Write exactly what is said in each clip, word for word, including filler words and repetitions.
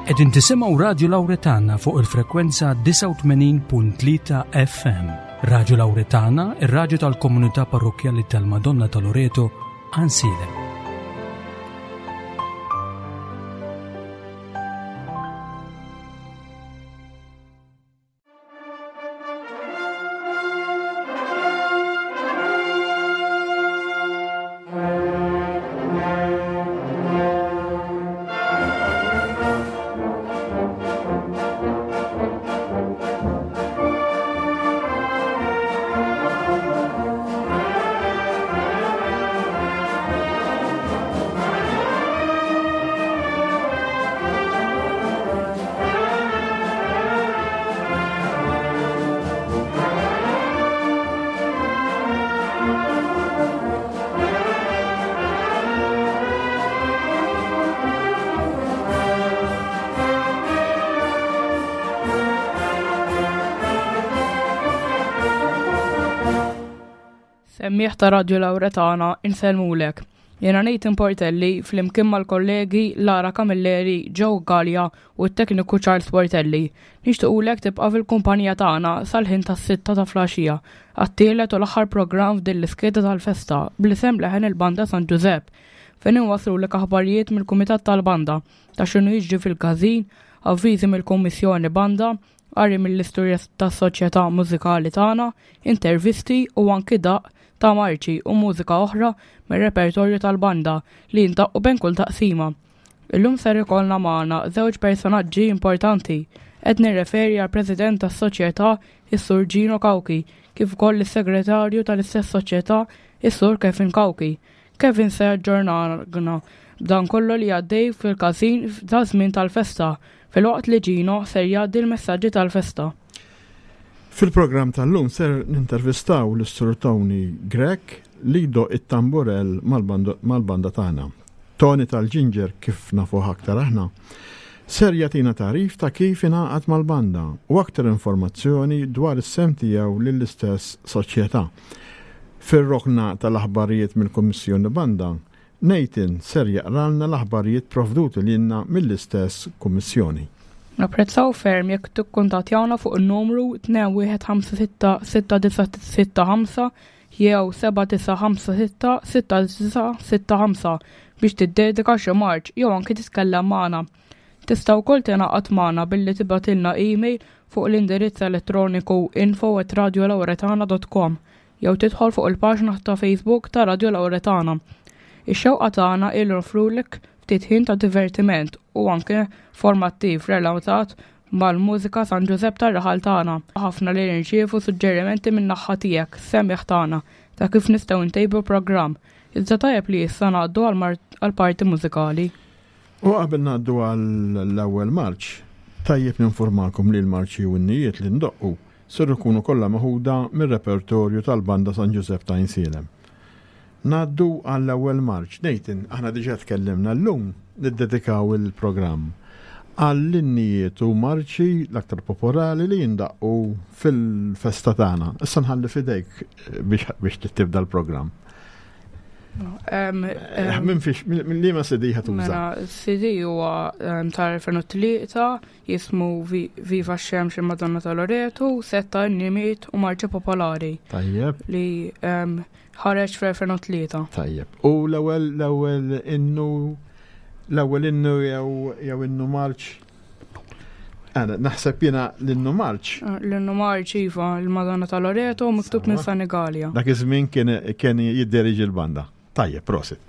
Qegħdin tisimgħu Radio Lauretana fuq il-frekwenza disgħa u tmenin punt tlieta F M. Radio Lauretana, ir-radju tal-komunità parrokkjali tal-Madonna ta' Loreto, Għajnsielem. Semmiegħa ta' Radio Lauretana, insellmulek. Jiena Nathan Portelli flimkien mal-kollegi Lara Camilleri, Joe Gallia u t-tekniku Charles Portelli. Nixtiequlek tibqa' fil-kumpanija tagħna sal-ħin tas-sitta ta' filgħaxija għat-tielet u l-aħħar programm f'din l-iskeda tal-festa bl-isem Leħen il-Banda San Giuseppe, fejn inwaslulek aħbarijiet mill-Kumitat tal-Banda ta' x'inhu jiġri fil-każin, avviżi mill-Kummissjoni Banda, qari mill-istorja tas-soċjetà mużikali tagħna, intervisti u anki daqq ta' marċi u mużika oħra mir-repertorju tal-banda li jindaqqu bejn kull taqsima. Illum ser ikollna magħna żewġ personaġġi importanti. Qed nirreferi għal President tas-Soċjetà, is-Sur Gino Cauchi, kif ukoll is-Segretarju tal-istess soċjetà, is-Sur Kevin Cauchi. Kevin se jaġġornana b'dan kollu li għaddej fil-każin ta' żmien tal-festa, filwaqt li Gino ser jgħaddi l-messaġġi tal-festa. Fil-programm tal-lum ser nintervistaw l-Sur Tony Grech li jdoqq it-tamburell mal-banda tagħna. Tony tal-Ginger, kif nafuh aktar aħna, ser jagħtina tagħrif ta' kif ingħaqad mal-banda u aktar informazzjoni dwar is-sehem tiegħu lill-istess soċjetà. Fir-rokna tal-aħbarijiet mill-Kummissjoni Banda, Nathan ser jaqralna l-aħbarijiet provduti lilna mill-istess kummissjoni. Napprezzaw ferm jekk tikkuntattjawna fuq il-numru tnejn wieħed ħamsa sitta sitta disa' sitta ħamsa jew seba' disa' ħamsa sitta sitta disa' sitta ħamsa biex tiddedika xi marċ jew anki titkellem magħna. Tista' wkoll tingħaqad magħna billi tibgħatilna email fuq l-indirizz elettroniku info at radiolauretana dot com jew tidħol fuq il-paġna ta' Facebook ta' Radio Lauretana. Ix-xewqa tagħna hi noffrulek ftit ħin ta' divertiment u anke formattiv relatat mal-mużika San Ġużepp tar-raħal tagħna. Ħafna li nirċievu suġġerimenti minn naħa tiegħek, semmiegħ tagħna, ta' kif nistgħu ntejbu programm. Iżda tajjeb li issa ngħaddu għall-parti mużikali. U qabel ngħaddu għall-ewwel marċ, tajjeb ninformakom li l-marċi u n-innijiet li ndoqqu ser ikunu kollha meħuda mir-repertorju tal-Banda San Ġużepp ta' Għajnsielem. Ngħaddu għall-ewwel marċ. Nathan, aħna diġà tkellimna, llum niddedikaw il-programm għall-innijiet u marċi l-aktar popolari li jindaqqu fil-festa tagħna. Issa nħalli fidejk biex biex tibda l-programm. Minn fiex, minn liema C D ħa tuża? Mela, C D huwa tal-elfejn u tlieta, jismu Viva Xemx Madonna ta' Loreto, setta innijiet u marċi popolari. Tajjeb. Li ħareġ fl-elfejn u tlieta. Tajjeb. U l-ewwel l-ewwel innu l-ewwel innu jew jew innu marċ? Għana, naħseb jiena l-innu marċ. L-innu marċ, iva, il-Madonna ta' Loreto, miktub minn Sanigalia. Dak iż-żmien kien kien jidderieġi l-banda. Tajjeb, prosit.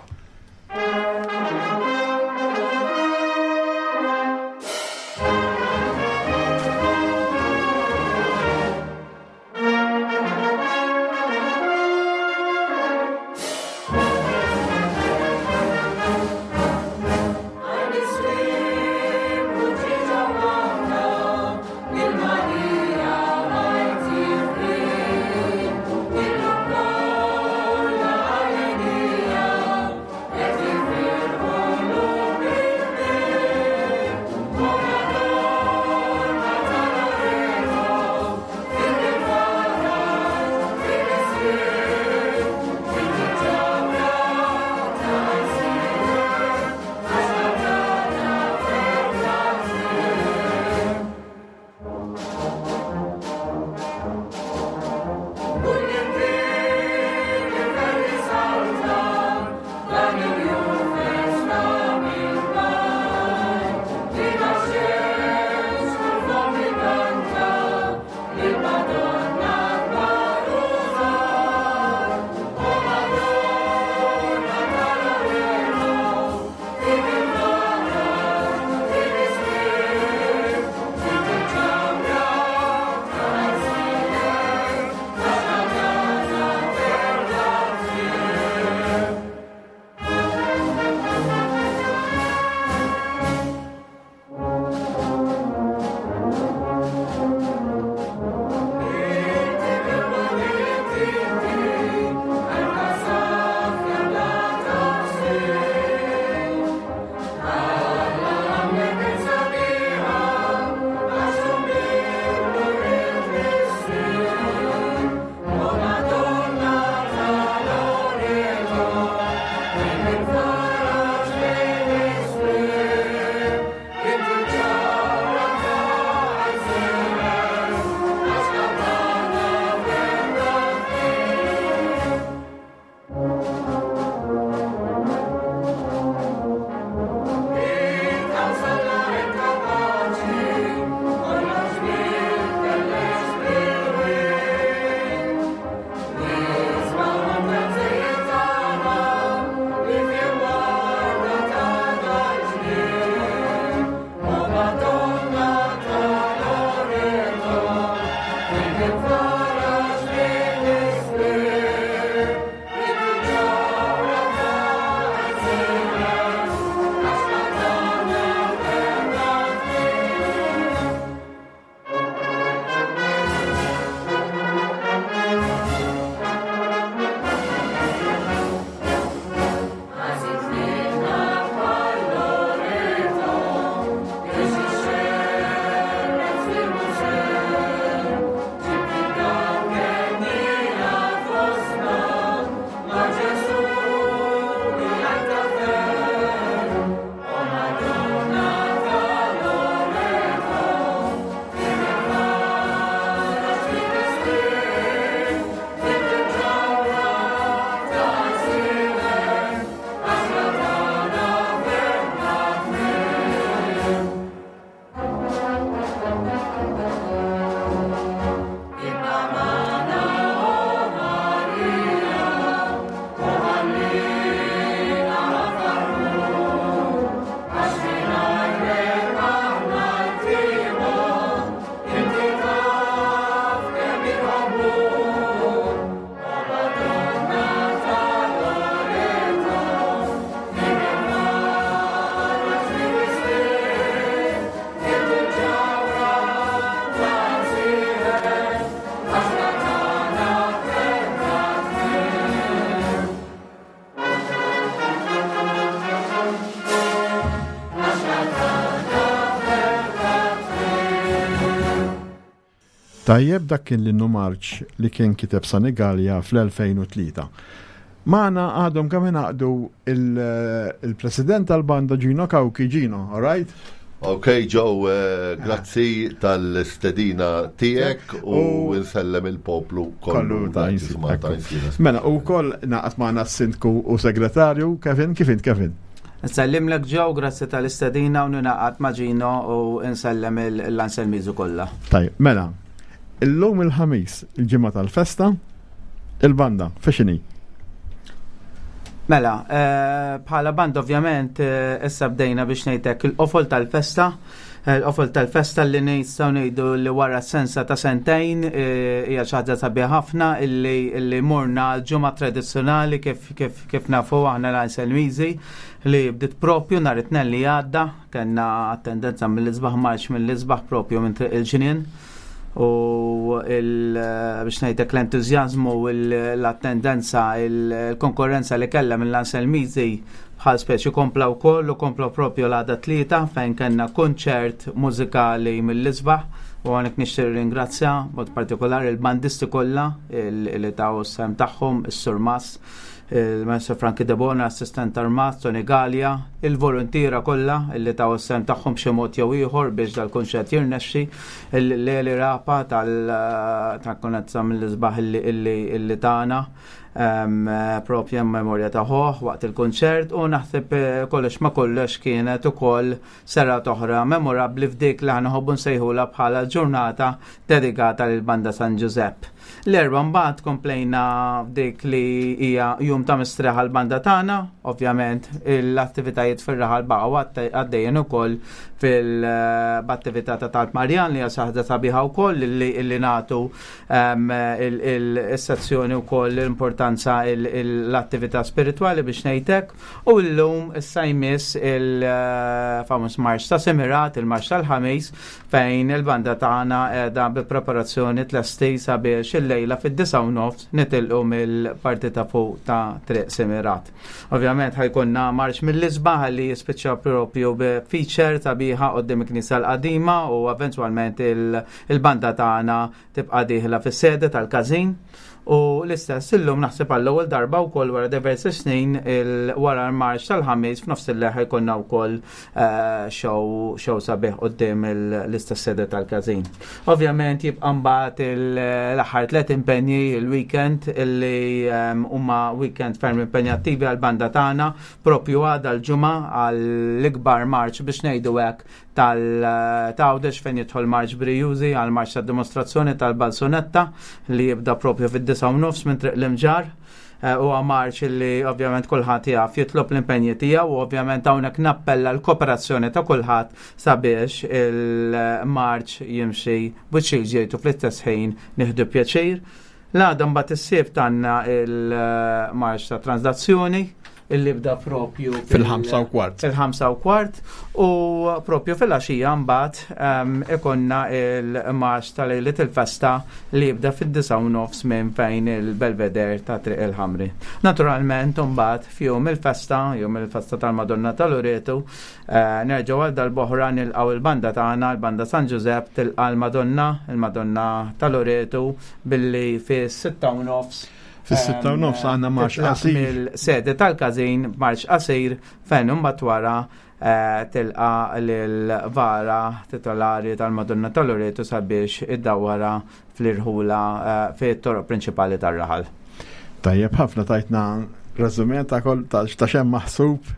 Tajjeb, dak kien l-innu marċ li kien kiteb Sunny Galea fl-elfejn u tlieta. Magħna għadhom kemm ingħaqdu il-president tal-banda Gino Cauchi. Gino, all right? Ok, Joe, eh, grazzi tal-stedina tiegħek u nsellem il-poplu kollu ta' Mela, u koll naqat magħna s-sindku u segretarju Kevin, kif int Kevin? Nsellimlek Joe, grazzi tal-istedina u ninaqat ma' Gino u nsellem l-Anselmiżu kollha. Tajjeb, mela, illum il-ħamis, il-ġimgħa tal-festa, il-banda, fexini? Mela, bħala banda ovvjament issa bdejna biex ngħidlek il-qofol tal-festa, il-qofol tal-festa li nistgħu ngħidu li wara sensa ta' sentejn hija xi ħaġa sabiħa ħafna illi morna l-ġimgħa tradizzjonali kif kif kif nafu aħna l-Anselmiżi li bdiet propju nhar it-tnejn li għadda, kellna attendenza mill-isbaħ marċ mill-isbaħ propju minn Triq il-Ġnien. U biex ngħidlek l-entużjażmu u l-attendenza, il-konkurrenza li kellha mill-Anselmiżi bħal speċi kompla wkoll u kompla propju l-għada tlieta fejn kellna kunċert mużikali mill-isbaħ u għonek nixtieq ringrazzja mod partikolari il-bandisti kollha li taw s-sem tagħhom, is-Surmas, il-Maestro Frankie Debona, assistent armat, Tony Galea, il-volontiera kollha illi taw s-sem tagħhom b'xi mod jew ieħor biex dal-kunċert jirnexxi, il-Leli Rapa tal-konezza mill-isbaħ illi tagħna propja memorja ta' ħoħ waqt il-kunċert u naħseb kollox ma kollox kienet ukoll serata oħra memorabbli f'dik li aħna nħobbu nsejħulha bħala ġurnata dedikata lill-Banda San Giuseppe. L-erba' mbagħad komplejna f'dik li hija jum ta' mistrieħ għall-banda tagħna, ovvjament l-attivitajiet fir-raħal baqgħu għaddejjin ukoll fil-attività ta' Talb Marjan li hija xi ħaġa sabiħa wkoll illi nagħtu is-sezzjoni wkoll l-importanza l-attività spiritwali biex ngħidlek, u llum issa jmiss il-famuż marċ ta' Semirat, il-marċ tal-ħamis, fejn il-banda tagħna qiegħda bi preparazzjoni tlesti sabiex il-lejla fid-disgħa u nofs nitilqu mill-parti ta' fuq ta' Triq Semirat. Ovvjament ħajkonna marċ mill-isbaħ li jispiċċa propju b'feature sabiħa quddiem il-Knisja l-Qadima u eventwalment il-banda tagħna tibqa' dieħla fis-sede tal-każin. U l-istess illum naħseb għall-ewwel darba wkoll wara diversi snin wara l-marċ tal-ħamis f'nofs il-leħ jkollna wkoll show show sabiħ quddiem l-istess sede tal-każin. Ovvjament jibqa' mbagħad l-aħħar tliet impenji il-weekend illi huma weekend ferm impenjattivi għall-banda tagħna, propju għada l-ġimgħa għall-ikbar marċ biex ngħidu hekk tal-Għawdex fejn jidħol marċ brijużi għal marċ tad-dimostrazzjoni tal-Balzunetta li jibda propju fid-disgħa u nofs minn Triq l-Imġar. Huwa marċ li ovvjament kulħadd jaf jitlob l-impenji tiegħu u ovvjament hawnhekk nappella l-kooperazzjoni ta' kulħadd sabiex il-marċ jimxi b'wiċċ il-ġejtu fl-istess ħin nieħdu pjaċir. L-għada mbagħad is-sibt għandna il-marċ ta' translazzjoni illi bda propju fil-ħamsa u kwart. Fil-ħamsa u kwart u propju fil-għaxija mbagħad ikonna il-marċ tal-lejliet il-festa li jibda fid-disgħa u nofs minn fejn il-Belvedere ta' Triq il-Ħamri. Naturalment mbagħad f'jum il-festa, jum il-festa tal-Madonna tal-Loretu, nerġgħu għal dal-boħra nilqgħu il-banda tagħna, il-banda San Giuseppe tilqa' l-Madonna, il-Madonna tal-Loretu billi fis-sitta u nofs. Fis-sitta u nofs għandna marċ qasir. Mill-sede tal-każin marċ qasir fejn imbagħad wara tilqa' lill-vara titolari tal-Madonna tal-Loretu sabiex iddawwara fl-irħula fit-toroq prinċipali tar-raħal. Tajjeb ħafna tajtna reżume ta' kol ta' x'hemm maħsub.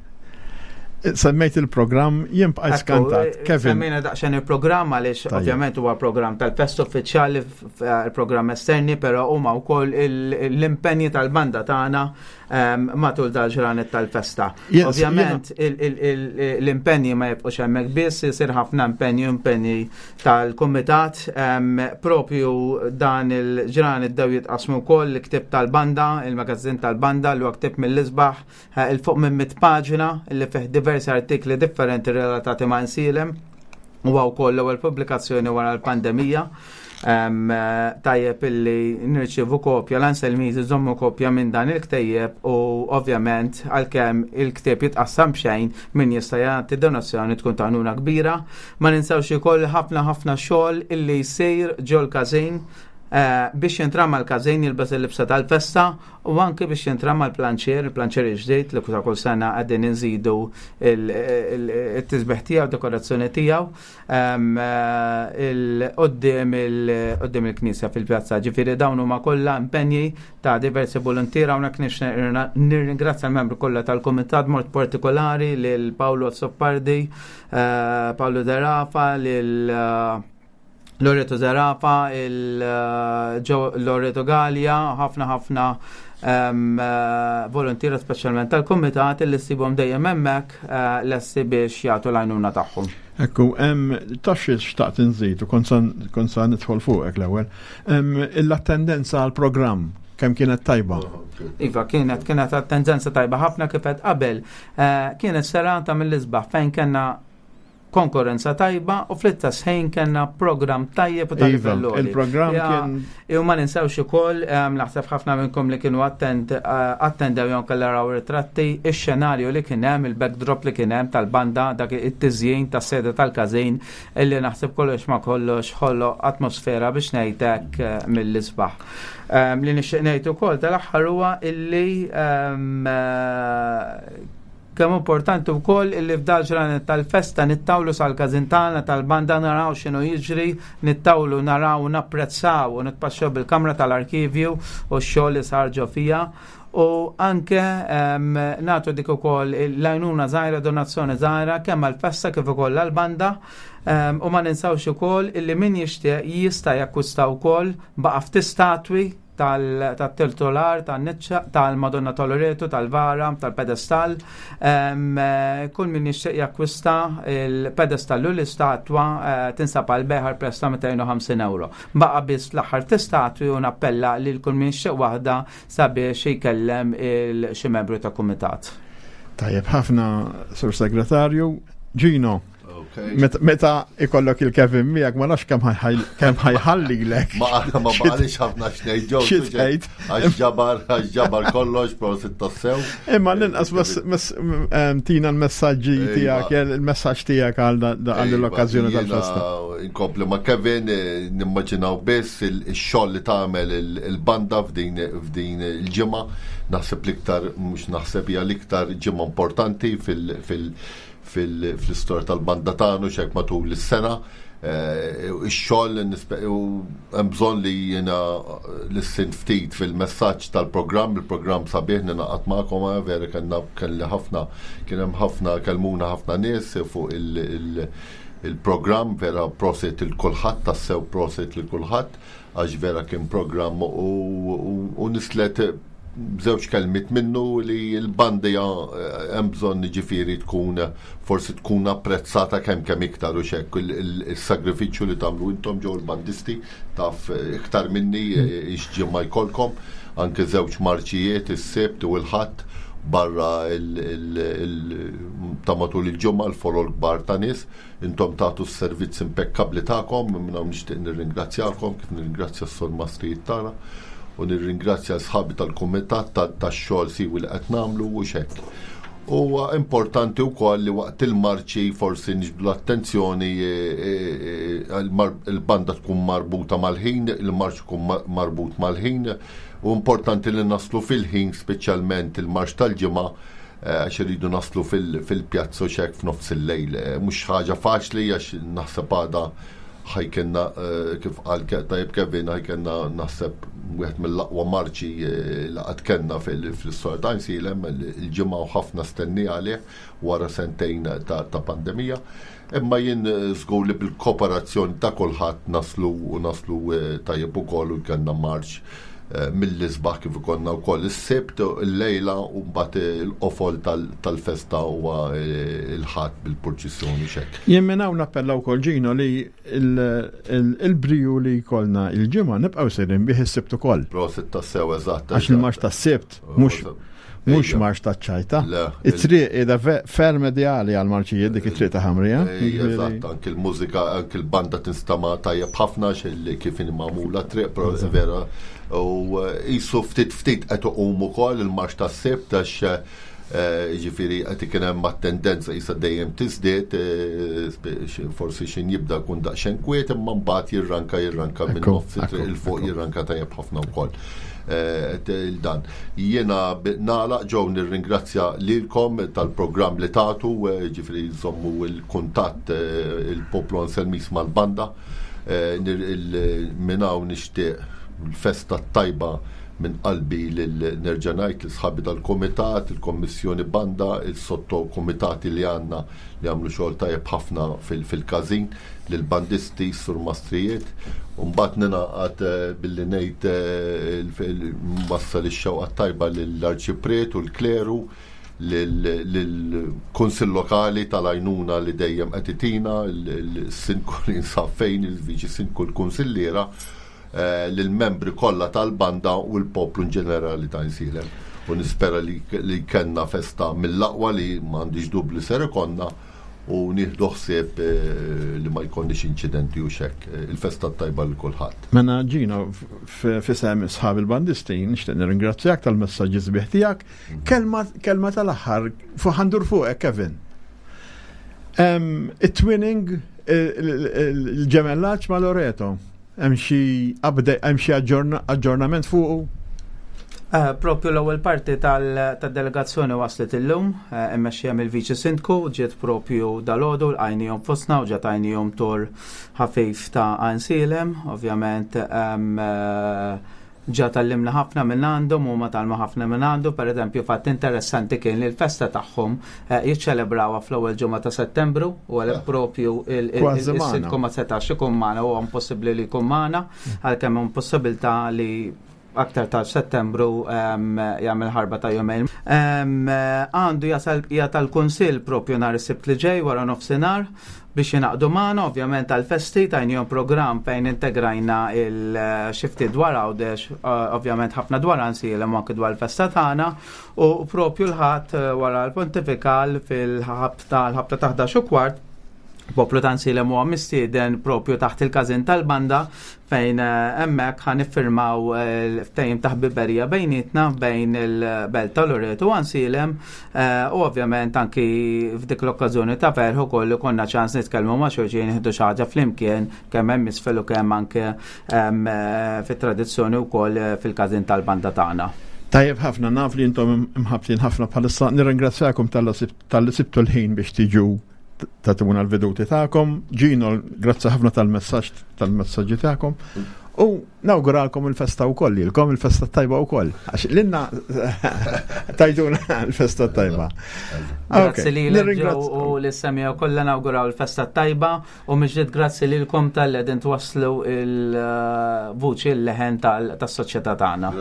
Semmejt il-programm, jien bqajt skantat. Kevin. Semmejna daqsxejn il-programm għaliex ovvjament huwa programm tal-fest uffiċjali, il-programm esterni, però huma wkoll l-impenji tal-banda tagħna matul dal-ġranet tal-festa. Ovvjament l-impenji ma jibqgħux hemmhekk biss, isir ħafna impenji, impenji tal-kumitat, propju dan il-ġranet dew jitqasmu wkoll il-ktieb tal-banda, il-magazzin tal-banda li huwa ktieb mill-isbaħ, il fuq minn mitt paġna li fih diversi artikli differenti relatati ma' Nsielem, u wkoll l-ewwel pubblikazzjoni wara l-pandemija. Tajjeb illi nirċievu kopja, l-Anselmiżi żommu kopja minn dan il-ktejjeb u ovvjament għalkemm il-ktieb jitqassam b'xejn, min jista' jagħti donazzjoni tkun ta' għajnuna kbira. Ma ninsewx ukoll ħafna ħafna xogħol illi jsir ġol-każin eh, biex jintrama l-każin jilbes il-libsa tal-festa u anke biex jintrama l-planċier, il-planċier ġdid li kull sena qegħdin inżidu il-tisbiħ tiegħu, dekorazzjoni tiegħu quddiem il-knisja fil-pjazza. Ġifieri dawn huma kollha impenji ta' diversi volontiera. Hawnhekk nirringrazzja l-membru kollha tal-kumitat, mod partikolari lil Paolo Soppardi, eh, Paolo Derafa, lil eh, Loreto Zerafa, il-Loreto Gallia, ħafna ħafna volontiera speċjalment tal-kumitat li ssibhom dejjem hemmhekk eh, lesti biex jagħtu l-għajnuna tagħhom. Ekku, taf xi xtaqt inżid u kont sa nidħol fuqek l-ewwel. L-attendenza għal-programm kemm kienet tajba? Iva, kienet kienet attendenza tajba ħafna. Kif għedt qabel. Eh, kienet serata mill-isbaħ fejn kellna konkurrenza tajba u fl-istess ħin kellna program tajjeb u ta' Iva, livell għoli. Il-programm Ja, kien U ma ninsewx ukoll, em, naħseb ħafna minnkom li kienu attent eh, attendew jew kellha raw ritratti, ix-xenarju li kien hemm, il-backdrop li kien hemm tal-banda, dak it-tiżjin tas-sede tal-każin, illi naħseb kollox ma kollox ħoloq atmosfera biex ngħidlek eh, mill-isbaħ. Em, Li nixtieq ngħid ukoll tal-aħħar huwa illi em, eh, kemm importanti wkoll illi f'dal ġranet tal-festa nittawlu sal-każin tagħna tal-banda, naraw x'inhu jiġri, nittawlu naraw, napprezzaw u nitpaxxew bil-kamra tal-arkivju u x-xogħol li sar ġo fija u anke em, nagħtu dik ukoll l-għajnuna żgħira, donazzjoni żgħira kemm għall-festa kif ukoll għall-banda. Em, u ma ninsawx ukoll illi min jixtieq jista' jakkwista wkoll, baqa' ftit statwi tal-titular, tal-niċċa, tal-Madonna tal-Loreto, tal-Vara, tal-pedestal. Em, eh, Kull min jixtieq jakkwista il-pedestal u l-istatwa eh, tinsab għal bejgħ prezz ta' mitejn u ħamsin euro. Baqa biss l-aħħar statwi u nappella lil kull min jixtieq waħda sabiex jkellem il xi membru ta' kumitat. Tajjeb ħafna, Sur Segretarju. Gino, Okay. met- meta ikollok il-Kevin miegħek ma nafx kemm ħaj- kemm ħajħallilek. Ma ma baqalix ħafna x'ngħid, Joe. Xi tgħid? Għax ġabar, għax ġabar kollox, prosit tassew. Imma l-inqas mas- mas- em, tina l-messaġġi Iva. tiegħek, il-messaġġ tiegħek għal da- da- għal l-okkażjoni Iva, tal-festa. jiena Inkompli ma' Kevin, eh, nimmaġinaw biss il- il-xogħol li tagħmel il- il-banda f'din f'din il-ġimgħa. Naħseb l-iktar, mhux naħseb, hija l-iktar ġimgħa importanti fil- fil- fil- fl-istorja tal-banda tagħna xek matul is-sena. Eh, Ix-xogħol nispe- u hemm bżonn li jiena l-sin ftit fil-messaġġ tal-programm, il-programm sabiħ, ninaqat magħkom, eh, vera kellna kelli ħafna kien hemm ħafna kelmuna ħafna nies fuq il- il- il-programm, vera prosit lil kulħadd, tassew prosit lil kulħadd għax vera kien programm u, u, u nislet żewġ kelmiet minnu li l-banda eh, hemm bżonn ġifieri tkun forsi tkun apprezzata kemm kemm iktar u xek il-sagrifiċċju li tagħmlu intom ġew il-bandisti, taf eh, iktar minni eh, x'ġimgħa jkollkom, anke żewġ marċijiet, is-Sibt u l-Ħadd, barra il- il- il- ta' matul il-ġimgħa, l-folol kbar ta' nies, intom tagħtu s-servizz impekkabli tagħkom, minn hawn nixtieq nirringrazzjakom, kif nirringrazzja s-sormastrijiet tagħna u nirringrazzja sħabi tal-kumitat tax-xogħol siwi li qed nagħmlu u xek. Huwa importanti wkoll li waqt il-marċi forsi niġbdu l-attenzjoni, eh, eh, il-mar- il-banda tkun marbuta mal-ħin, il-marċ ikun ma- marbut mal-ħin, u importanti li naslu fil-ħin, speċjalment il-marċ tal-Ġimgħa, eh, għax iridu naslu fil- fil-pjazza u xek f'nofs il-lejl. Eh, Mhux ħaġa faċli għax naħseb għada ħa jkollna, eh, kif qal Ke- tajjeb Kevin, ħa jkollna naħseb wieħed mill-aqwa marċi eh, li qatt kellna fil-istorja ta' Għajnsielem il-Ġimgħa u ħafna stennija għalih wara sentejn ta' ta' pandemija. Imma jien eh, żgur li bil-kooperazzjoni ta' kulħadd naslu u naslu eh, tajjeb ukoll u jkollna marċ eh, mill-isbaħ kif ikollna wkoll is-Sibt il-lejla u mbagħad il-qofol tal- tal-festa huwa eh, il-Ħadd bil-purċissjoni xek. Jien minn hawn nappella wkoll, Ġino, li il- il- il-briju li jkollna il-Ġimgħa nibqgħu sejrin bih is-Sibt ukoll. Prosit tassew, eżatt. Għax il-marċ tas-Sibt mhux Mhux marx ta' ċajta. It-triq qiegħda ferm ideali għal marċijiet dik it-triq ta' Ħamrija. Eżatt, anke l-mużika, anke l-banda tinstama' tajjeb ħafna kif inhi magħmula triq, però vera u qisu ftit ftit qed iqum ukoll il-marx tas-Sibt għax ġifieri qed ikun hemm tendenza qisha dejjem tiżdied, forsi x'in jibda jkun daqsxejn kwiet imma mbagħad jirranka jirranka minn nofs il fuq jirranka tajjeb ħafna wkoll. Dan. Jiena nagħlaq ġew nirringrazzja lilkom tal-programm li tagħtu, ġifieri nżommu l-kuntatt il-poplu Anselmis mal-banda. Minn hawn nixtieq l-festa tajba minn qalbi lil nerġa' ngħid lil sħabi tal-kumitat, il-kommissjoni banda, il-sottokumitati li għandna li għamlu xogħol tajjeb ħafna fil-każin, lill-bandisti, surmastrijiet, u mbagħad ningħaqad billi ngħid wassal ix-xewqa tajba lill-arċipriet u l-kleru, lill-Kunsill Lokali tal-għajnuna li dejjem qed itina, il-sindku li jinsab fejn, il-viċi sindku, l-kunsilliera, lill-membri kollha tal-banda u l-poplu in ġenerali ta' Għajnsielem. U nispera li kellna festa mill-aqwa li m'għandix dubju li ser ikollna u nieħdu ħsieb li ma jkollniex inċidenti u xekk. Il-festa tajba lil kulħadd. Mela Gino, f'isem sħab il-bandisti nixtieq nirringrazzjak tal-messaġġi sbieħ tiegħek. Kelma tal-aħħar fuq ħandur fuqek Kevin. It-twinning, il-ġemellaġġ ma' Loreto. Hemm xi hemm xi aġġornament fuqu? Propju l-ewwel parti tad-delegazzjoni waslet illum, immexxija mill-Viċi Sindku, ġiet propju dalgħodu lqajnihom fostna u ġiet għajnihom tur ħafif ta' Għajnsielem, ovvjament ġa tallimna ħafna minn għandhom u ma talmu ħafna minn għandu. Per eżempju, fatt interessanti kien li l-festa tagħhom jiċċelebrawha fl-ewwel ġimgħa ta' Settembru u għalhekk propju il-sindku ma setax ikun magħna, huwa impossibbli li jkun magħna, għalkemm hemm possibilità li aktar ta' Settembru jagħmel ħarba ta' jumejn. Għandu jasal bqija tal-Kunsill propju nhar is-Sibt li ġej wara nofsinhar biex jingħaqdu magħna ovvjament għall-festi, tajnihom programm fejn integrajna il-xifti dwar Għawdex, ovvjament ħafna dwar Għajnsielem u anke dwar il-festa tagħna, u propju l-Ħadd wara l-Pontifikal fil-ħabta l-ħabta ta' ħdax u kwart poplu ta' Għajnsielem huwa mistieden propju taħt il-każin tal-banda fejn hemmhekk ħa niffirmaw l-ftehim ta' ħbiberija bejnietna bejn il-Belt ta' Loreto u Għajnsielem, u ovvjament anki f'dik l-okkażjoni ta' ferħ ukoll konna ċans nitkellmu ma' xulxin, nieħdu xi ħaġa flimkien kemm hemm isfel u kemm anke fit-tradizzjoni wkoll fil-każin tal-banda tagħna. Tajjeb ħafna, naf li intom imħabtin ħafna bħalissa, nirringrazzjakom tal-li sibtu l-ħin biex tiġu tatuna l-veduti tagħkom. Gino, grazzi ħafna tal-messaġġ tal-messaġġi tagħkom. U nawguralkom il-festa wkoll, lilkom il-festa tajba wkoll. Għax lilna tajduna l-festa tajba. Grazzi lilek u lis-semgħa kollha nawguraw il-festa tajba, u miġġiet grazzi lilkom tal-li qegħdin twasslu il-vuċi l-leħen tas-soċjetà tagħna.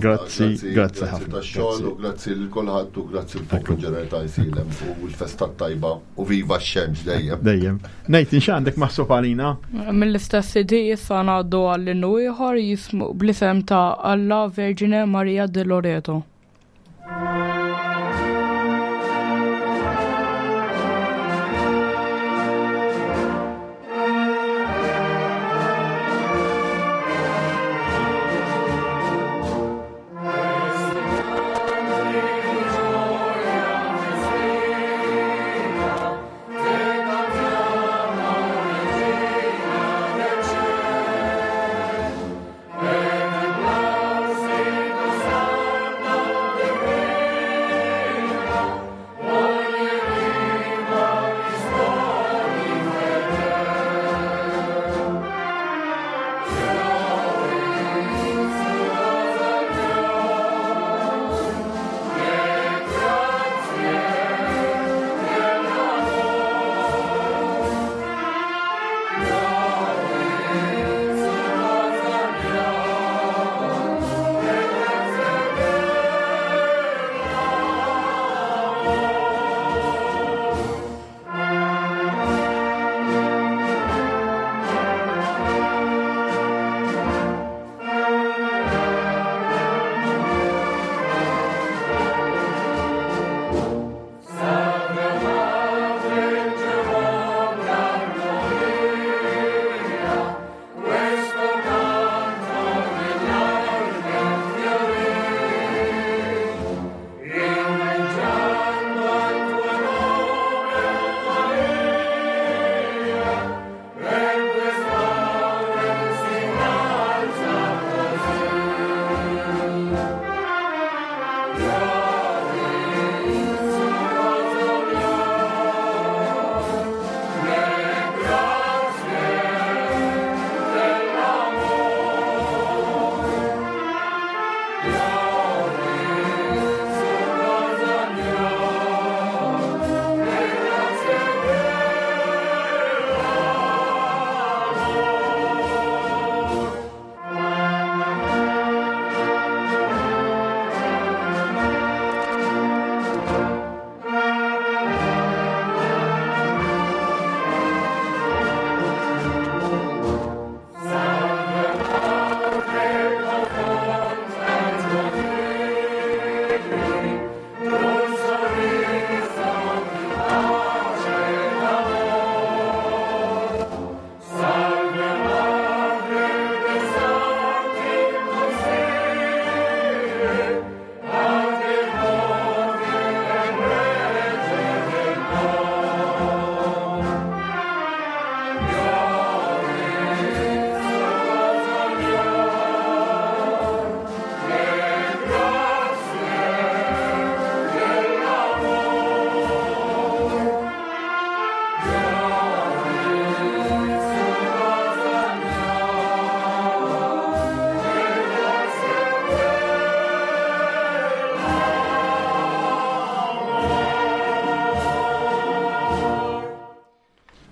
Grazzi, grazzi ħafna tax-xogħol u grazzi lil kulħadd u grazzi l-poplu ġenerali ta' Għajnsielem u l-festa tajba u viva x-xemx dejjem. Dejjem. Ngħid x'għandek maħsub għalina? Mill-istess C D issa ngħaddu għall-innu ieħor jismu bl-isem ta' Alla Vergine Maria de Loreto. Thank you.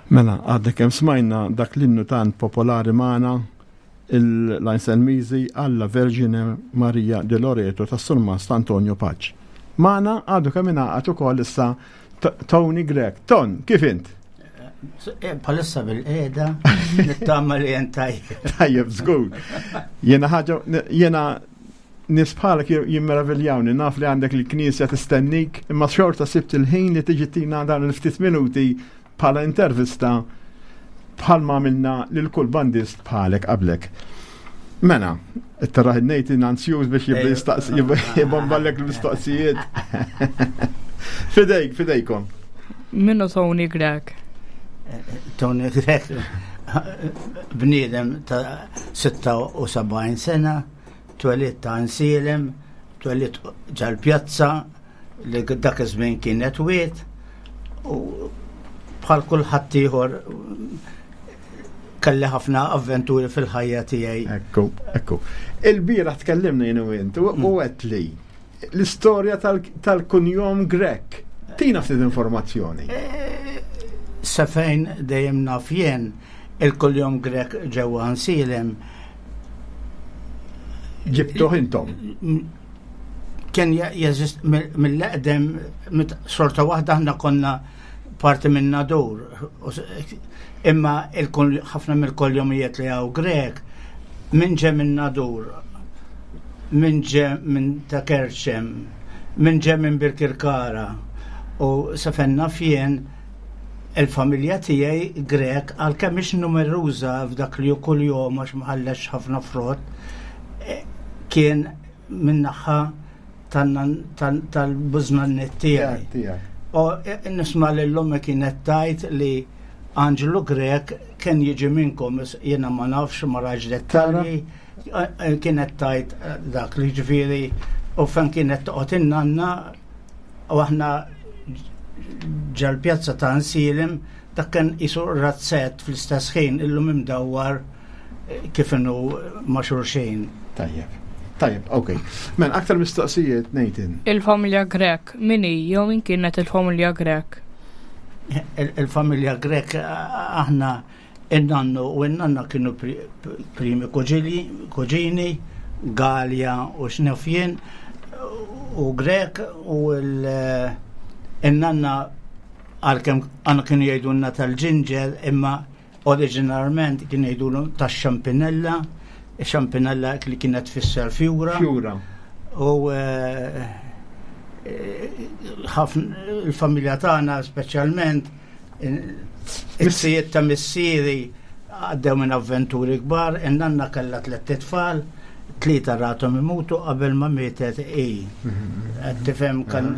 Mela, għadna kemm smajna dak l-innu tant popolari magħna l-Anselmiżi alla Vergine Maria de Loreto tas Surmast Antonio Pace. Magħna għadu kemm ingħaqad ukoll issa Tony Grech. Ton, kif int? Bħalissa bilqiegħda, nittama li jien tajjeb. Tajjeb, żgur. Jena ħaġa, jena nies bħalek jimmeraviljawni, naf li għandek il-knisja tistennik, imma xorta sibt il-ħin li tiġi tina dan il-ftit minuti bħala intervista bħalma għamilna lil kull bandist bħalek qablek. Mela, it-taraħ Nathan ansjuż biex jibda jistaqsi, jibomballek l-mistoqsijiet. Fidejk, fidejkom. Min hu Tony Grech? Tony Grech, bniedem ta' sitta u sebgħin sena, twelidt ta' Għajnsielem, twelidt ġal-pjazza li dak iż-żmien kienet wied, u bħal kulħadd ieħor kelli ħafna avventuri fil-ħajja tiegħi. Ekku, ekku. Il-bieraħ tkellimna jien u int u għedt li l-istorja tal-kunjom Grech. Tina ftit informazzjoni. Sa fejn dejjem naf jien, il-kunjom Grech ġewwa Għajnsielem Ġibtuh intom. Kien jeżist mill-eqdem, xorta waħda aħna konna parti minn Nadur. Imma ħafna mill-kunjomijiet li hawn Grech, minn ġe minn Nadur, minn ġe minn Ta' Kerċem, minn ġe minn Birkirkara, u sa fejn naf jien il-familja tiegħi Grech, għalkemm mhix numeruża f'dak li kull jum għax mħallex ħafna frott, eh, kien min-naħa tal-bużnanniet tiegħi. U e, nisma' l-lum kienet tgħid li Angelo Grech kien jiġi minnkom, jiena ma nafx, ma rajtx dettalji, e, e, kienet tgħid dak li ġifieri u fejn kienet toqgħod in-nanna u aħna ġal-pjazza ta' Għajnsielem, dak kien qisu razzett fl-istess ħin, illum imdawwar kif inhu ma' xulxin. Tajjeb. Tajjeb, ok. Men, aktar mistoqsijiet, Nathan. Il-familja Grech, min hi jew min kienet il-familja Grech? Il-familja Grech, aħna in-nannu u n-nanna kienu primi kuġini, Gallia u x'naf jien, u Grech, u l-nanna għalkemm għandna kienu jgħidulna tal-ġinġer, imma oriġinarment kienu jgħidulu tax-xampinella, xampinella li kienet tfisser fjura. Fjura. U eh, ħafna il-familja tagħna, speċjalment iz-zijiet ta' missieri, għaddew minn avventuri kbar. In-nanna kellha tliet tfal, tlieta rathom imutu qabel ma mietet i. Qed tifhem kan.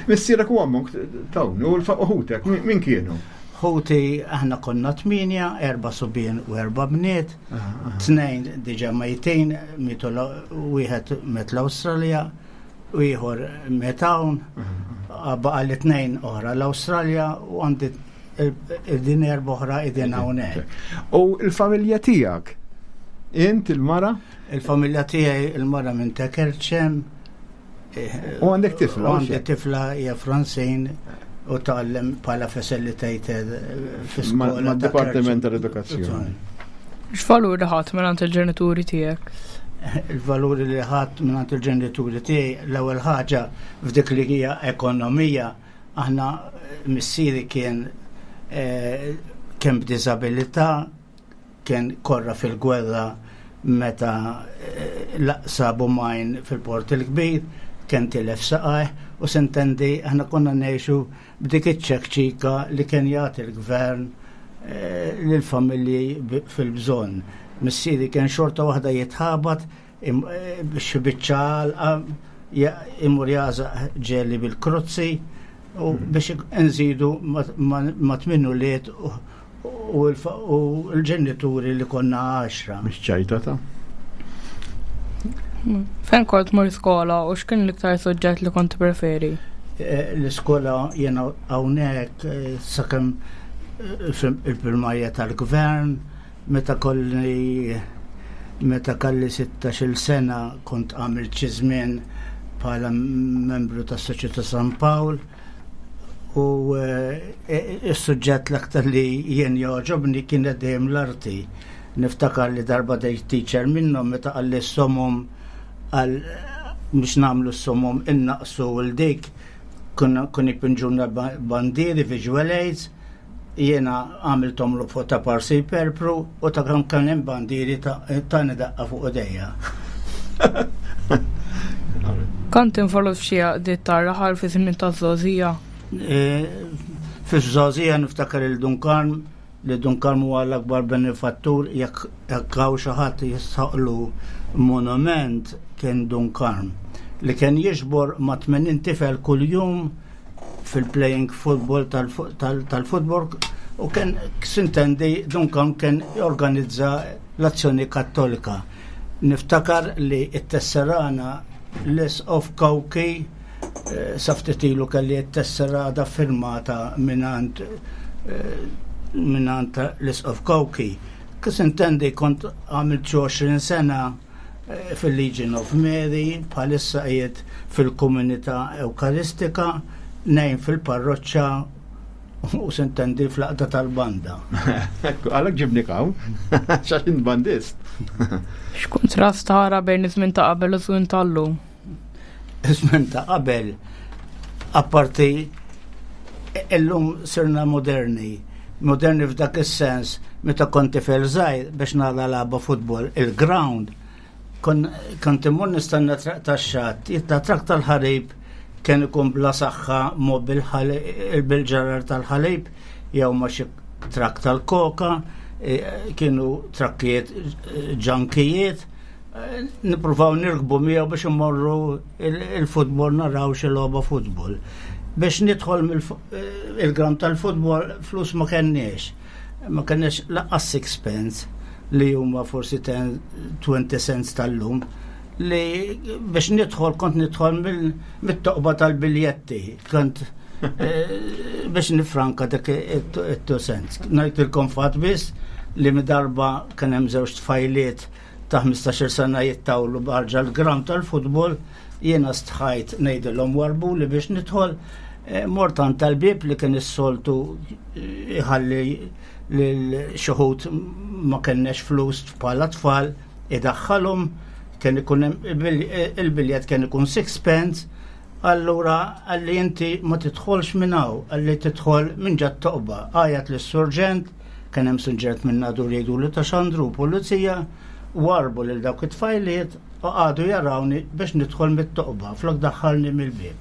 Missierek u ommok, Tony, u l-ħutek, min kienu? Ħuti, aħna konna tmienja, erba' subien u erba' bniet, tnejn diġà mejtin, mietu, wieħed miet l-Awstralja, u ieħor miet hawn, baqa' li tnejn oħra l-Awstralja u għandi din erba' oħra qegħdin hawnhekk. U il-familja tiegħek? Int, il-mara? Il-familja tiegħi, il-mara minn Ta' Kerċem. U għandek tifla? U għandi tifla, hija Francine, u tgħallem bħala facilitator fi skola. Ma' Dipartiment tal-Edukazzjoni. X'valuri ħadt minn il-ġenituri tiegħek? Il-valuri li ħadt minn il-ġenituri tiegħi, l-ewwel ħaġa f'dik li hija ekonomija, aħna missieri kien eh, kien b'diżabilità, kien korra fil-gwerra meta eh, sabu mine fil-Port il-Kbir, kien tilef saqajh, u s'intendi aħna konna ngħixu b'dik iċ-ċekċika li kien jagħti l-gvern eh, lill-familji fil-bżonn. Missieri kien xorta waħda jitħabat eh, biex biċċa għalqa imur jagħżaq ġeli bil-krozzi u biex nżidu ma' tmien ulied u l-ġenituri li konna għaxra. Mhix ċajta ta' Fejn kont tmur skola u x'kien l-iktar suġġett li kont preferi? Eh, l-iskola jena hawnhekk eh, sakemm eh, il-primarja tal-gvern, meta kolli meta kelli sittax-il sena kont għamilt xi żmien bħala membru tas-Soċjetà San Pawl u Is-suġġett l-aktar li jien jogħġobni kienet dejjem l-arti. Niftakar li darba dej teacher minnhom meta qalli s-somom għal biex nagħmlu s-somom innaqsu l dik kun ipinġuna bandieri visual aids, jiena għamilthom l fuq ta' parsi perpru u ta' kam kien hemm bandieri ta' daqqa fuq idejja. Kont involut f'xi għaqdiet tar-raħal fi żmien taż-żgħożija? E, Fiż-żgħożija niftakar il-Dun Karm, li Dun Karm huwa l-akbar benefattur, jekk hawn xi ħadd jistħoqqlu monument kien Dun Karm, li kien jiġbor ma' tmenin tifel kuljum fil-playing football tal-football u kien sintendi Dun Karm kien jorganizza l-Azzjoni Kattolika. Niftakar li it-tesserana l-Isqof Kawki, eh, sa ftit ilu kelli t-tesserada firmata minant eh, minant l-Isqof Kawki. Kif intendi kont għamilt xi għoxrin sena eh, fil-Legion of Mary, bħalissa qiegħed fil-komunità Ewkaristika, ngħin fil-parroċċa u sintendi fl-għaqda tal-banda. Ekku, għalhekk ġibnik hawn, għax int bandist. X'kuntrast tara bejn iż-żmien ta' qabel u żmien tal-lum? Iż-żmien ta' qabel, apparti illum sirna moderni. Moderni f'dak is-sens, meta kont tifel żgħir biex nara lagħba futbol, il-ground, kont immur nistenna trakk tax-xatt, jitla trakk tal-ħalib kien ikun bla saħħa mo bil-ġarar tal-ħalib jew ma xi trakk tal-koka, e, kienu trakkijiet ġankijiet, e, nippruvaw nirkbu miegħu biex immorru il-futbol naraw xi logħba futbol. Biex nidħol il-ground tal-futbol flus ma kenniex. Ma kenniex lanqas sixpence li huma forsi twenty cents tal-lum, li biex nidħol kont nidħol mit-toqba tal-biljetti, kont eh, biex nifranka dak it-two cents. Ngħidilkom fatt biss li darba kien hemm żewġ tfajliet ta' ħmistax-il sena jittawlu barġa l-ground tal-futbol, jiena stħajt ngħidilhom warbu li biex nidħol, eh, mort għand tal-bib li kien is-soltu iħalli lil xi wħud ma kennex flus bħala tfal idaħħalhom, kien ikun hemm il-biljett kien ikun sixpence, allura għalli inti ma tidħolx minn hawn, għalli tidħol minn ġat toqba. Għajat lis-surġent, kien hemm surġent minn Nadur jgħidu li ta' Xandru pulizija, warbu lil dawk it-tfajliet u qagħdu jarawni biex nidħol mit-toqba, flok daħħalni mill-bieb.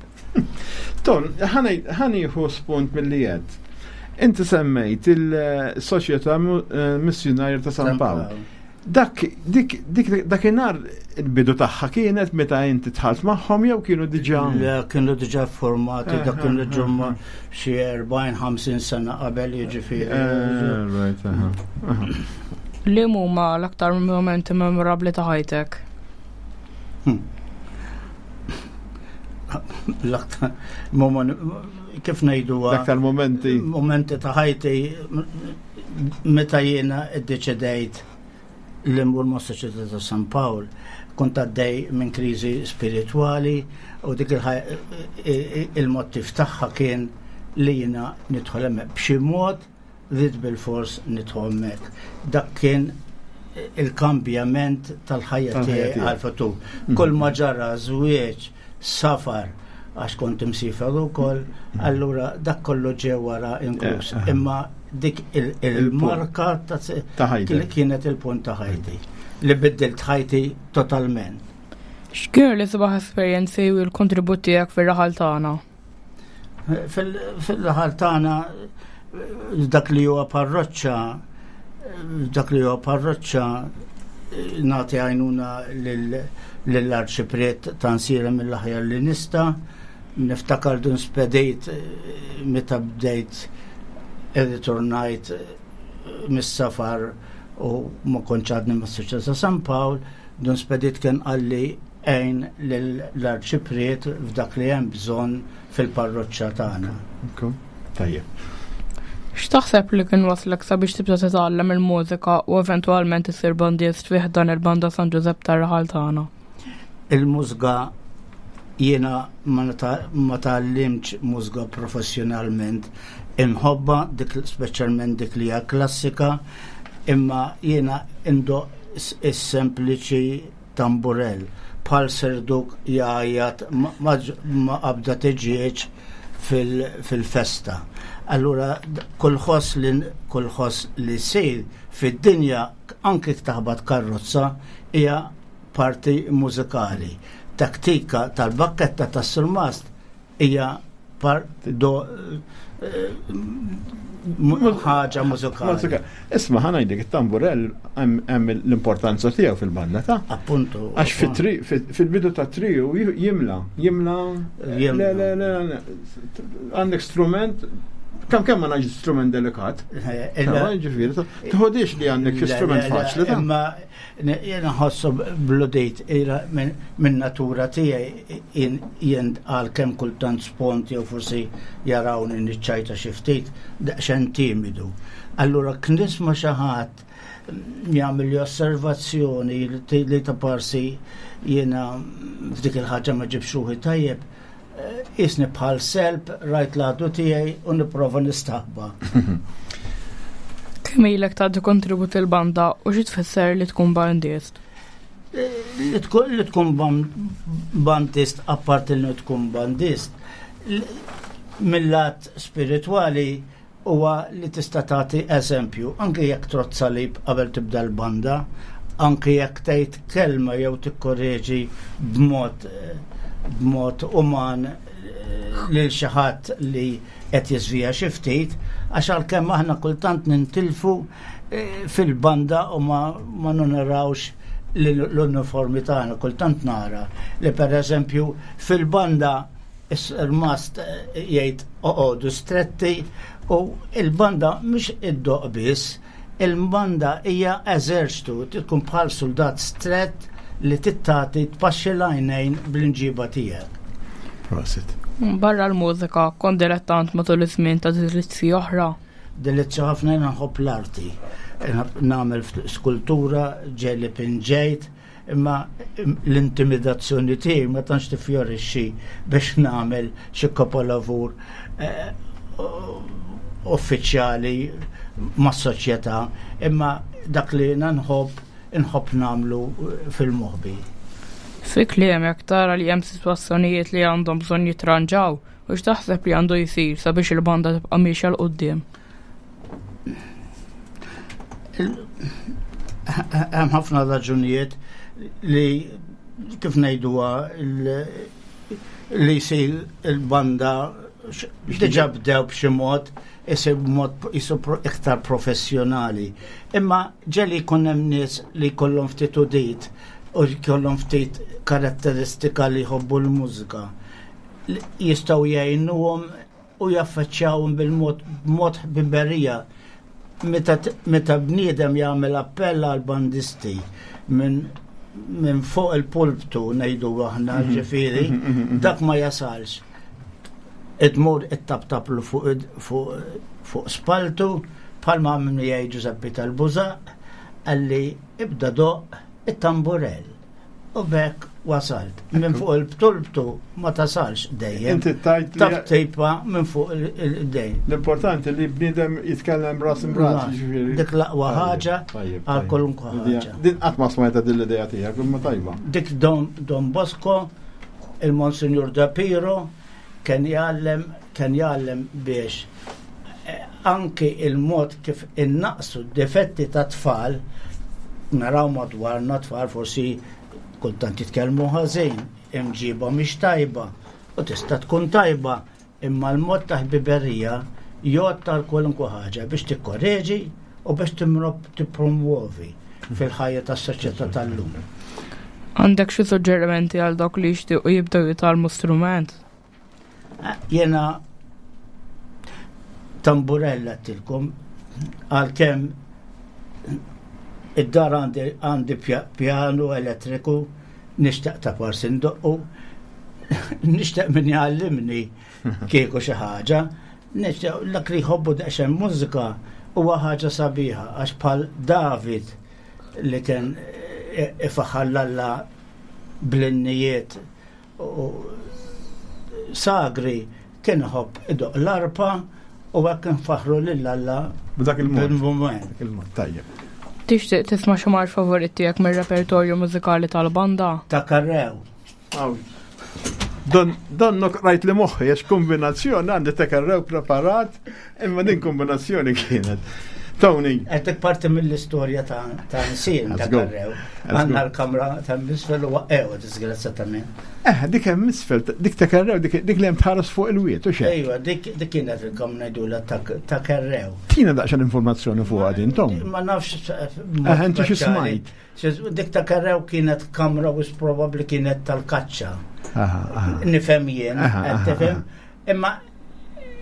Ton, ħa nieħu spunt mill-li għedt. Inti semmejt il-Soċjetà eh, Missjunarja ta' San Pawl. Dak, dik, dik, dakinhar il-bidu tagħha kienet meta inti dħalt magħhom jew kienu diġà? Le, kienu diġà formati, dak kienu Eh, ġumma xi erbgħin, ħamsin sena qabel, jiġifieri. Eh, right, aha, aha. Li huma l-aktar momenti memorabbli ta' ħajtek? Hmm. L-aktar moment, kif ngħidu, L-aktar momenti. Momenti ta' ħajti meta jiena iddeċidejt li mmur ma' Soċjetà ta' San Pawl, kont għaddej minn kriżi spiritwali u dik il-mottiv tagħha kien li jiena nidħol hemmhekk b'xi mod, rrid bil-fors nidħol hemmhekk. Dak kien il-kambjament tal-ħajja Tal-ħajja tiegħi tiegħek. għal-futur. Kull ma ġara żwieġ, safar, għax kont imsifer ukoll, allura dak kollu ġew wara inkluż. Eh, Imma dik il- il-marka ta' Ta' ħajtek. kienet il-punt ta' ħajti li biddilt ħajti totalment. X'kienu l-isbaħ esperjenzi u l-kontribut tiegħek fir-raħal tagħna? Fil-raħal tagħna dak li huwa parroċċa, dak li huwa parroċċa nagħti għajnuna lill-arċipriet ta' nsira mill-aħjar li nista'. Niftakar dun spedejt meta bdejt irritornajt mis-safar u ma kontx għadni mas-Soċjetà ta' San Pawl, dun spedit kien qalli għin l-arċipriet f'dak li hemm bżonn fil-parroċċa tagħna. Tajjeb. X'taħseb li kien waslek sabiex tibda titgħallem il-mużika u eventwalment issir bandist fih dan il-banda San Ġużepp tar-raħal tagħna? Il-mużika Jiena ma tgħallimtx mużika professjonalment, inħobbha dik, speċjalment dik li hija klassika, imma jiena indoqq is-sempliċi tamburell bħal serduk jgħajjat ma' qabda tiġieġ fil-festa. Allura kull ħoss li kull ħoss li jsir fid-dinja, anke taħbat karozza, hija parti mużikali. Taktika tal-bakketta tas-surmast hija part do ħaġa mużikali. Isma', ħa ngħidlek, it-tamburell hemm l-importanza tiegħu fil-banda ta' Appuntu. Għax fil-bidu ta' trio jimla, jimla, le, le, le, għandek strument, kemm kemm ma ngħidx strument delikat. Ġifieri, tħodix li għandek xi strument faċli ta' Imma jiena nħossu bludejt minn natura tiegħi, jien għal kemm kultant spont jew forsi jarawni niċċajta xi ftit, daqsxejn timidu. Allura knisma xi ħadd jagħmel osservazzjoni li ta' parsi jiena f'dik il-ħaġa ma ġibx ruħi tajjeb, jisni bħal selb rajt l-għadu tiegħi u nipprova nistaħba. Kemm ilek tagħti kontribut il-banda u xi tfisser li tkun bandist? Li tkun bandist, apparti li tkun bandist, mill-lat spiritwali huwa li tista' tagħti eżempju, anke jekk trodd salib qabel tibda l-banda, anke jekk tgħid kelma jew tikkorreġi b'mod b'mod uman lil xi ħadd li qed jiżvija xi ftit, għax għalkemm aħna kultant nintilfu fil-banda u ma, ma narawx l-uniformi tagħna, kultant nara li pereżempju fil-banda is-mast jgħid oqogħdu stretti u il-banda mhux iddoqq biss, il-banda hija eżerċtu, tkun bħal soldat strett li tittati tpaxxi l-għajnejn bl-inġiba tiegħek. Prosit. Barra l-mużika, kont dilettant matul iż-żmien ta' delizzji oħra? Delizzju ħafna, jiena nħobb l-arti. Nagħmel skultura, ġeli pinġejt, imma l-intimidazzjoni tiegħi ma tantx tifjorixxi biex nagħmel xi kapolavur eh, uffiċjali mas-soċjetà, imma dak li jiena nħobb, inħobb nagħmlu fil-moħbi. Fi kliemek, tara li hemm sitwazzjonijiet li għandhom bżonn jitranġaw u x'taħseb li għandu jsir sabiex il-banda tibqa' miexja 'l quddiem? Hemm ħafna raġunijiet li kif ngħiduha li jsir il-banda diġà bdew b'xi mod isir b'mod isir iktar professjonali. Imma ġeli jkun hemm nies li jkollhom ftit udit u jkollhom ftit karatteristika li jħobbu l-mużika. Jistgħu jgħinuhom u jaffaċċjawhom bil-mod b'mod ħbiberija. Meta, meta bniedem jagħmel appell għal bandisti minn min fuq il-pulptu, ngħidu aħna, mhm. ġifieri, mhm, mhm, dak ma jasalx. Idmur it-taptaplu fuq fuq fuq spaltu bħalma għamlu jgħid Giuseppe tal-Bużaq, għalli ibda doqq it-tamburell. U bekk wasalt. Minn fuq il-pulptu ma tasalx dejjem. Inti tajt li Taptipa minn fuq il-dejn. L-importanti li bniedem jitkellem ras imb'ras, ġifieri. Dik l-aqwa ħaġa Tajjeb, għal tajjeb. kwalunkwe ħaġa. Din qatt ma smajta din l-idea tiegħek, imma tajba. Dik Don, Don Bosco, il-Monsignor Da Piro, kien jgħallem, kien jgħallem biex eh, anki il-mod kif innaqsu d-difetti ta' tfal, naraw madwarna tfal forsi kultant jitkellmu ħażin, imġiba mhix tajba, u tista' tkun tajba, imma l-mod ta' ħbiberija jgħod tal kwalunkwe ħaġa biex tikkorreġi u biex timrob tippromuovi fil-ħajja tas-soċjetà tal-lum. Għandek xi suġġerimenti għal dawk li jixtiequ jibdew jitgħallmu strument? Jena tamburella tilkom, għalkemm id-dar għandi, għandi pjanu elettriku, nixtaq ta' parsi ndoqqu, nixtaq min jgħallimni kieku xi ħaġa, nixtaq dak li jħobbu daqsxejn mużika huwa ħaġa sabiħa, għax bħal David li kien ifaħħar 'l Alla bl-innijiet u sagri kien iħobb idoq l-arpa u hekk nfaħru lil Alla B'dak il-mod. bil-mument. Dak il-mod, tajjeb. Tixtieq tisma' xi marx favorit tiegħek mir-repertorju mużikali tal-banda? Ta' Karrew. Aw. Don, donnok rajt li moħħi, għax kombinazzjoni għandi ta' Karrew preparat, imma din kombinazzjoni kienet. Tony, Għetek parti mill-istorja ta' ta' nsin ta' Let's go. Karrew. Let's Għanna go. l-kamra ta' misfel u waqqew, disgrazzatament. eh, dik hemm isfel, dik ta' Karrew, dik dik li hemm tħares fuq il-wiet, u xejn. Ejwa, dik dik kienet il-kamra ngħidulha ta' ta' Karrew. Tina daqsxejn informazzjoni fuq din, Tom. Ma nafx. Eh, inti xi smajt? Dik ta' Karrew kienet kamra u probabbli kienet tal-kaċċa. Aha, aha. Nifhem jien, Aha, qed aha, tifhem. Imma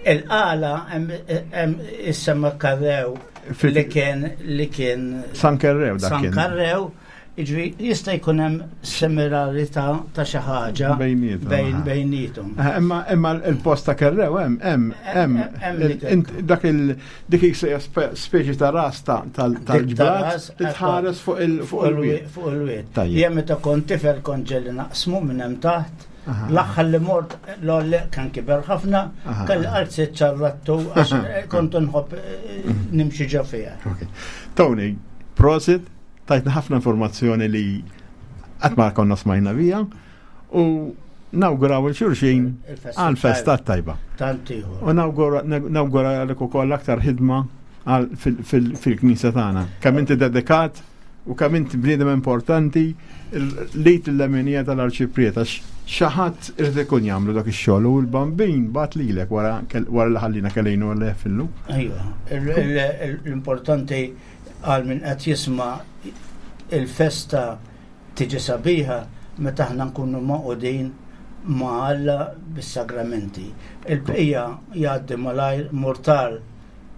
il-qala hemm issemma Karrew Fil- li kien li kien San Karrew dak San kien. Karrew, jiġri jista' jkun hemm similarità ta' xi ħaġa Bejnietom, bejn aha. bejnietom. Eh, Imma imma il-post ta' Karrew hemm hemm hemm Hemm il- dik- int- dak il dik hija spe- speċi ta' ras ta' tal- Dik ta' tal-ġbrat ras, li tħares fuq il fuq il-wiet. Fuq il-wiet. Tajjeb. Jien meta kont tifel kont ġelli naqsmu minn hemm taħt. Aha. L-aħħar li mort l-olli kan kiber ħafna, Aha. kelli qalzi ċarrattu għax kont nħobb eh, nimxi ġo fiha. Ok. Tony, prosit, tajtna ħafna informazzjoni li qatt ma konna smajna bija u nawguraw il-xulxin Il-festa għal-festa tajba. Tant ieħor. U nawgura nawgura lek ukoll aktar ħidma għal- fil- fil- fil-knisja tagħna. Kemm inti dedikat u kemm inti bniedem importanti lejt il-leminija tal-arċipriet għax xi ħadd irid ikun jagħmlu dak ix-xogħol u l-bambin bat lilek wara kell- wara li ħallina kellejnu għal fillu. Ejwa, il- il- il- l-importanti għal min qed jisma' il-festa tiġi sabiħa meta aħna nkunu maqudin ma' Alla bis-sagramenti. Il-bqija jgħaddi malajr mortal.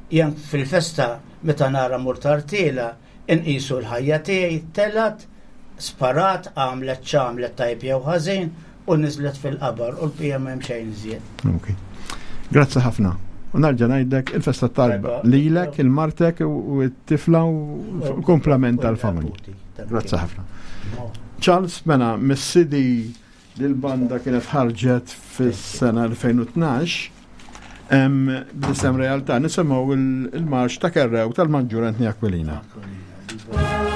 Jien fil-festa meta nara mortal tiela inqisu l-ħajja tiegħi telat, sparat, għamlet x'għamlet tajb jew ħażin u niżlet fil-qabar u l-bqija m'hemm xejn iżjed. Ok. Grazzi ħafna. U narġa' ngħidlek il-festa tajba Tajba. lilek, il-martek u u t-tifla u komplement tal-familja. Grazzi ħafna. Charles, mela, mis-C D li l-banda kienet ħarġet fis-sena elfejn u tnax, em, bl-isem Realtà, nisimgħu il- il-marx ta' Kerrew tal-Maġġur Anthony Aquilina. Thank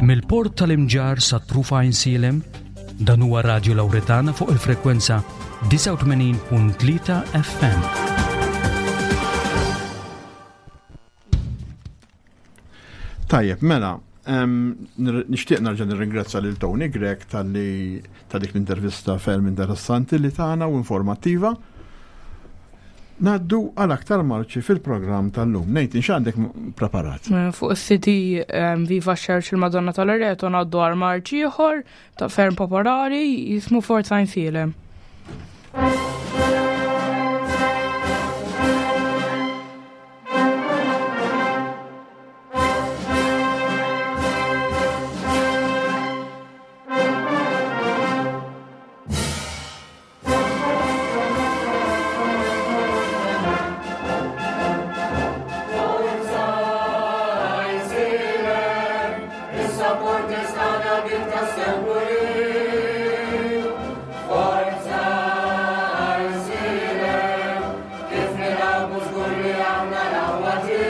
Mill-port tal-Imġarr sa truf Għajnsielem, dan huwa Radio Lauretana fuq il-frekwenza disgħa u tmenin punt tlieta F M. Tajjeb, mela, em, nir- nixtieq nerġa' nirringrazzja lil Tony Grech talli ta' dik l-intervista ferm interessanti li tagħna u informattiva. Ngħaddu għal aktar marċi fil-programm tal-lum. Nathan, x'għandek m- preparat? Eh, Fuq is-C D Viva Church il-Madonna tal-Loreto ngħaddu għal marċ ieħor ta' ferm popolari jismu Forza Għajnsielem. Kif nilagħbu żgur li aħna l-aqwa tim.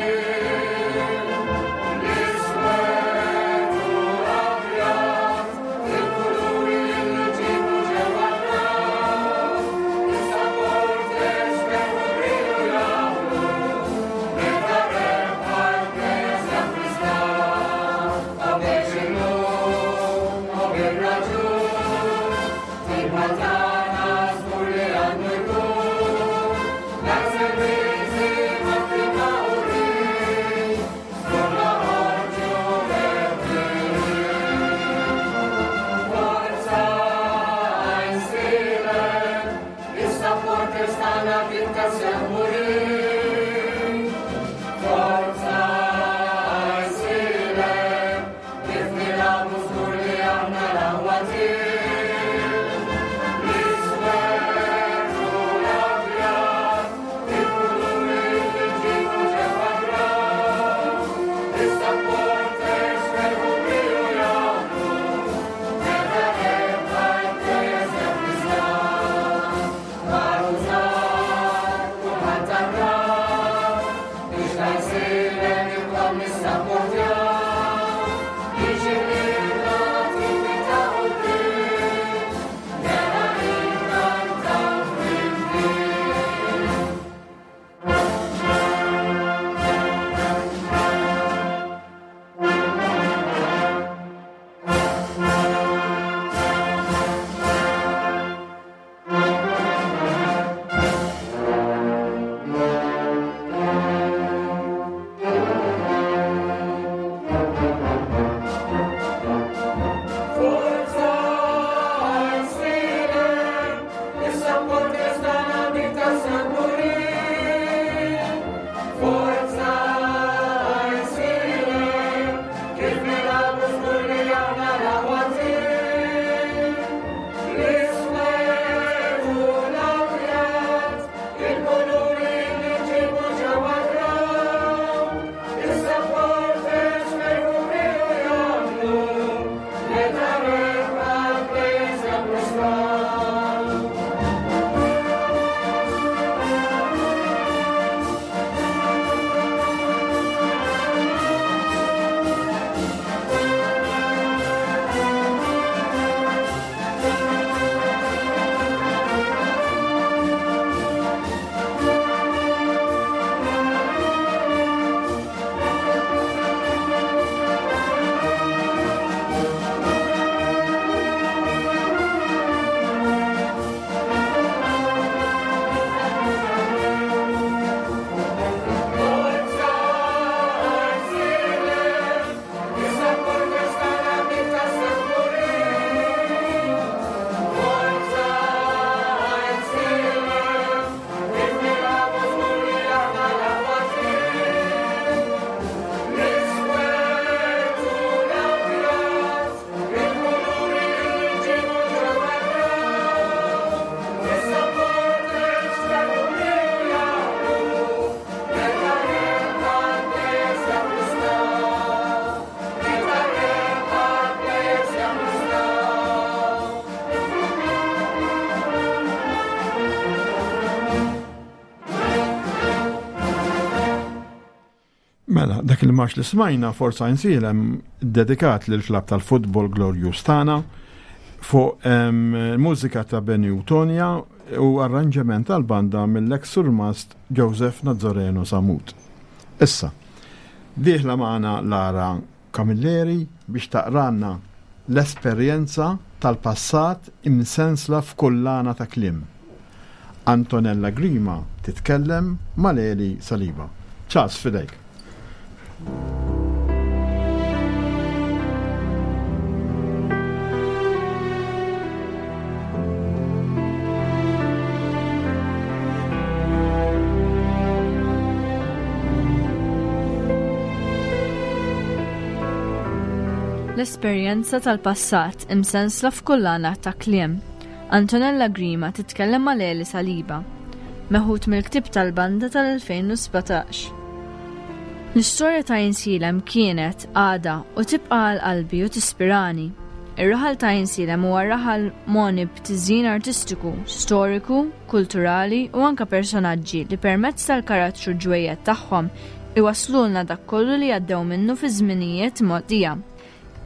Mela, dak il-marx li smajna Forza Għajnsielem dedikat lil klabb tal-futbol Glorious tagħna fuq mużika ta' Benny u Tonja u arranġament tal-banda mill-ex surmast Joseph Nazareno Samut. Issa, dieħla magħna Lara Camilleri biex taqranna l-esperjenza tal-passat imsensla f'kullana ta' kliem. Antonella Grima titkellem ma' Leli Saliba. Charles, f'idejk. L-esperjenza tal-passat imsensla f'kullana ta' kliem. Antonella Grima titkellem ma' Leli Saliba, meħud mill-ktieb tal-banda tal-elfejn u sbatax. L-istorja ta' Għajnsielem kienet, għadha u tibqa' għal qalbi u tispirani. Ir-raħal ta' Għajnsielem huwa raħal moni b'tiżjin artistiku, storiku, kulturali u anka personaġġi li permezz tal-karattru ġwejjed tagħhom iwaslulna dak kollu li għaddew minnu fi żminijiet mogħdija.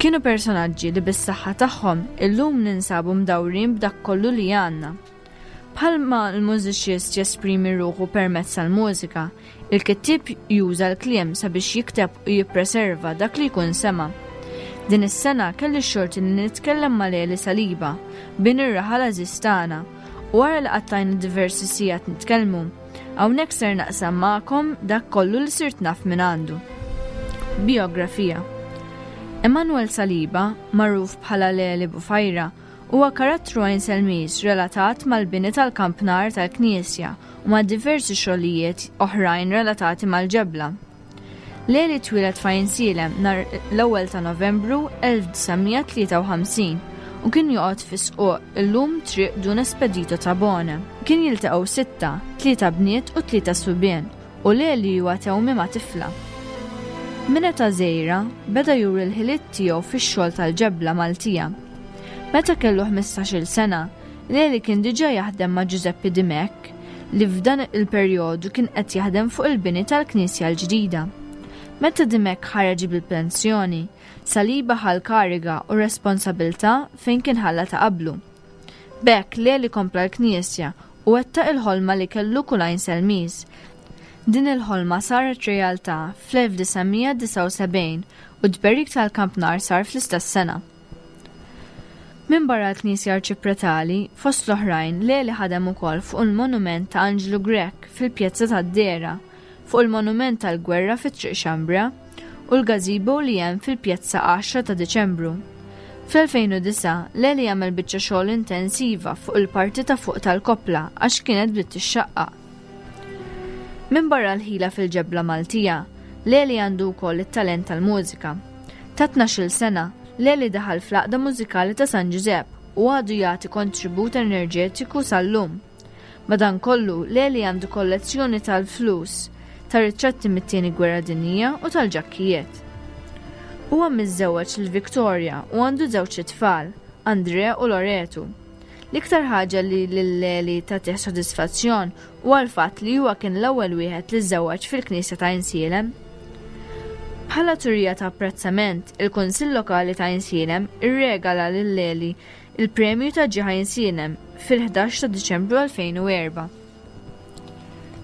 Kienu personaġġi li bis-saħħa tagħhom illum ninsabu mdawrin b'dak kollu li għandna. Bħalma l-mużiċist jesprimi ruħu permezz tal-mużika, il-kittieb juża l-kliem sabiex jikteb u jippreserva dak li jkun sema. Din is-sena kelli x-xorti li nitkellem ma' Leli Saliba, bin ir-raħal għażiż tagħna, u wara li qattajna diversi sigħat nitkellmu, hawnhekk ser naqsam magħkom dak kollu li sirt naf minn għandu. Biografija. Emanuel Saliba, magħruf bħala Leli Bufajra, huwa karattru Għajnselmiż relatat mal-bini tal-kampnar tal-Knisja u ma' diversi xogħlijiet oħrajn relatati mal-ġebla. Leli twieled f'Għajnsielem nhar l-ewwel ta' Novembru elf disa' mija tlieta u ħamsin u kien joqgħod fi squq illum triq Dun Espedito Tabone. Kien jiltaqgħu sitta, tlieta bniet u tlieta subien, u Leli huwa tewmi ma' tifla. Minn età żgħira beda juri l-ħiliet tiegħu fix-xogħol tal-ġebla Maltija. Meta kellu ħmistax-il sena, Leli kien diġà jaħdem ma' Giuseppe Dimech, li f'dan il-perjodu kien qed jaħdem fuq il-bini tal-Knisja l-ġdida. Meta Dimech ħareġ bil-pensjoni, Saliba ħa l-kariga u responsabilità fejn kien ħalla ta' qablu. B'hekk Leli kompla l-Knisja u wettaq il-ħolma li kellu kull Għajnselmiż. Din il-ħolma saret realtà fl-elf disa' mija disgħa u sebgħin u d-tberik tal-kampnar sar fl-istess sena. Minn barra l-Knisja Arċipretali, fost l-oħrajn, Leli ħadem ukoll fuq il-monument ta' Anġlu Grech fil-Pjazza tad-Dera, fuq il-monument tal-Gwerra fit-Triq Xambra u l-gazebo li hemm fil-Pjazza għaxra ta' Diċembru. Fl-elfejn u disgħa, Leli għamel biċċa xogħol intensiva fuq il-parti ta' fuq tal-koppla għax kienet bdiet tixxaqqaq. Minn barra l-ħila fil-ġebla Maltija, Leli għandu wkoll it-talent tal-mużika. Ta' tnax-il sena, Leli daħal fl-għaqda mużikali ta' San Ġużepp u għadu jagħti kontribut enerġetiku sal-lum. Madankollu, Leli għandu kollezzjoni tal-flus, ta' ritratti mit-tieni gwerra dinjija u tal-ġakkijiet. Huwa miżżewweġ lil Victoria u għandu żewġ itfal, Andrea u Loretu. L-iktar ħaġa li lil Leli tagħtih sodisfazzjon huwa l-fatt li huwa kien l-ewwel wieħed li żżewweġ fil-Knisja ta' Għajnsielem. Bħala turija ta' apprezzament, il-Kunsill Lokali ta' Għajnsielem irregala lil Leli il-premju ta' Ġieħ Għajnsielem fil-ħdax ta' Diċembru elfejn u erba'.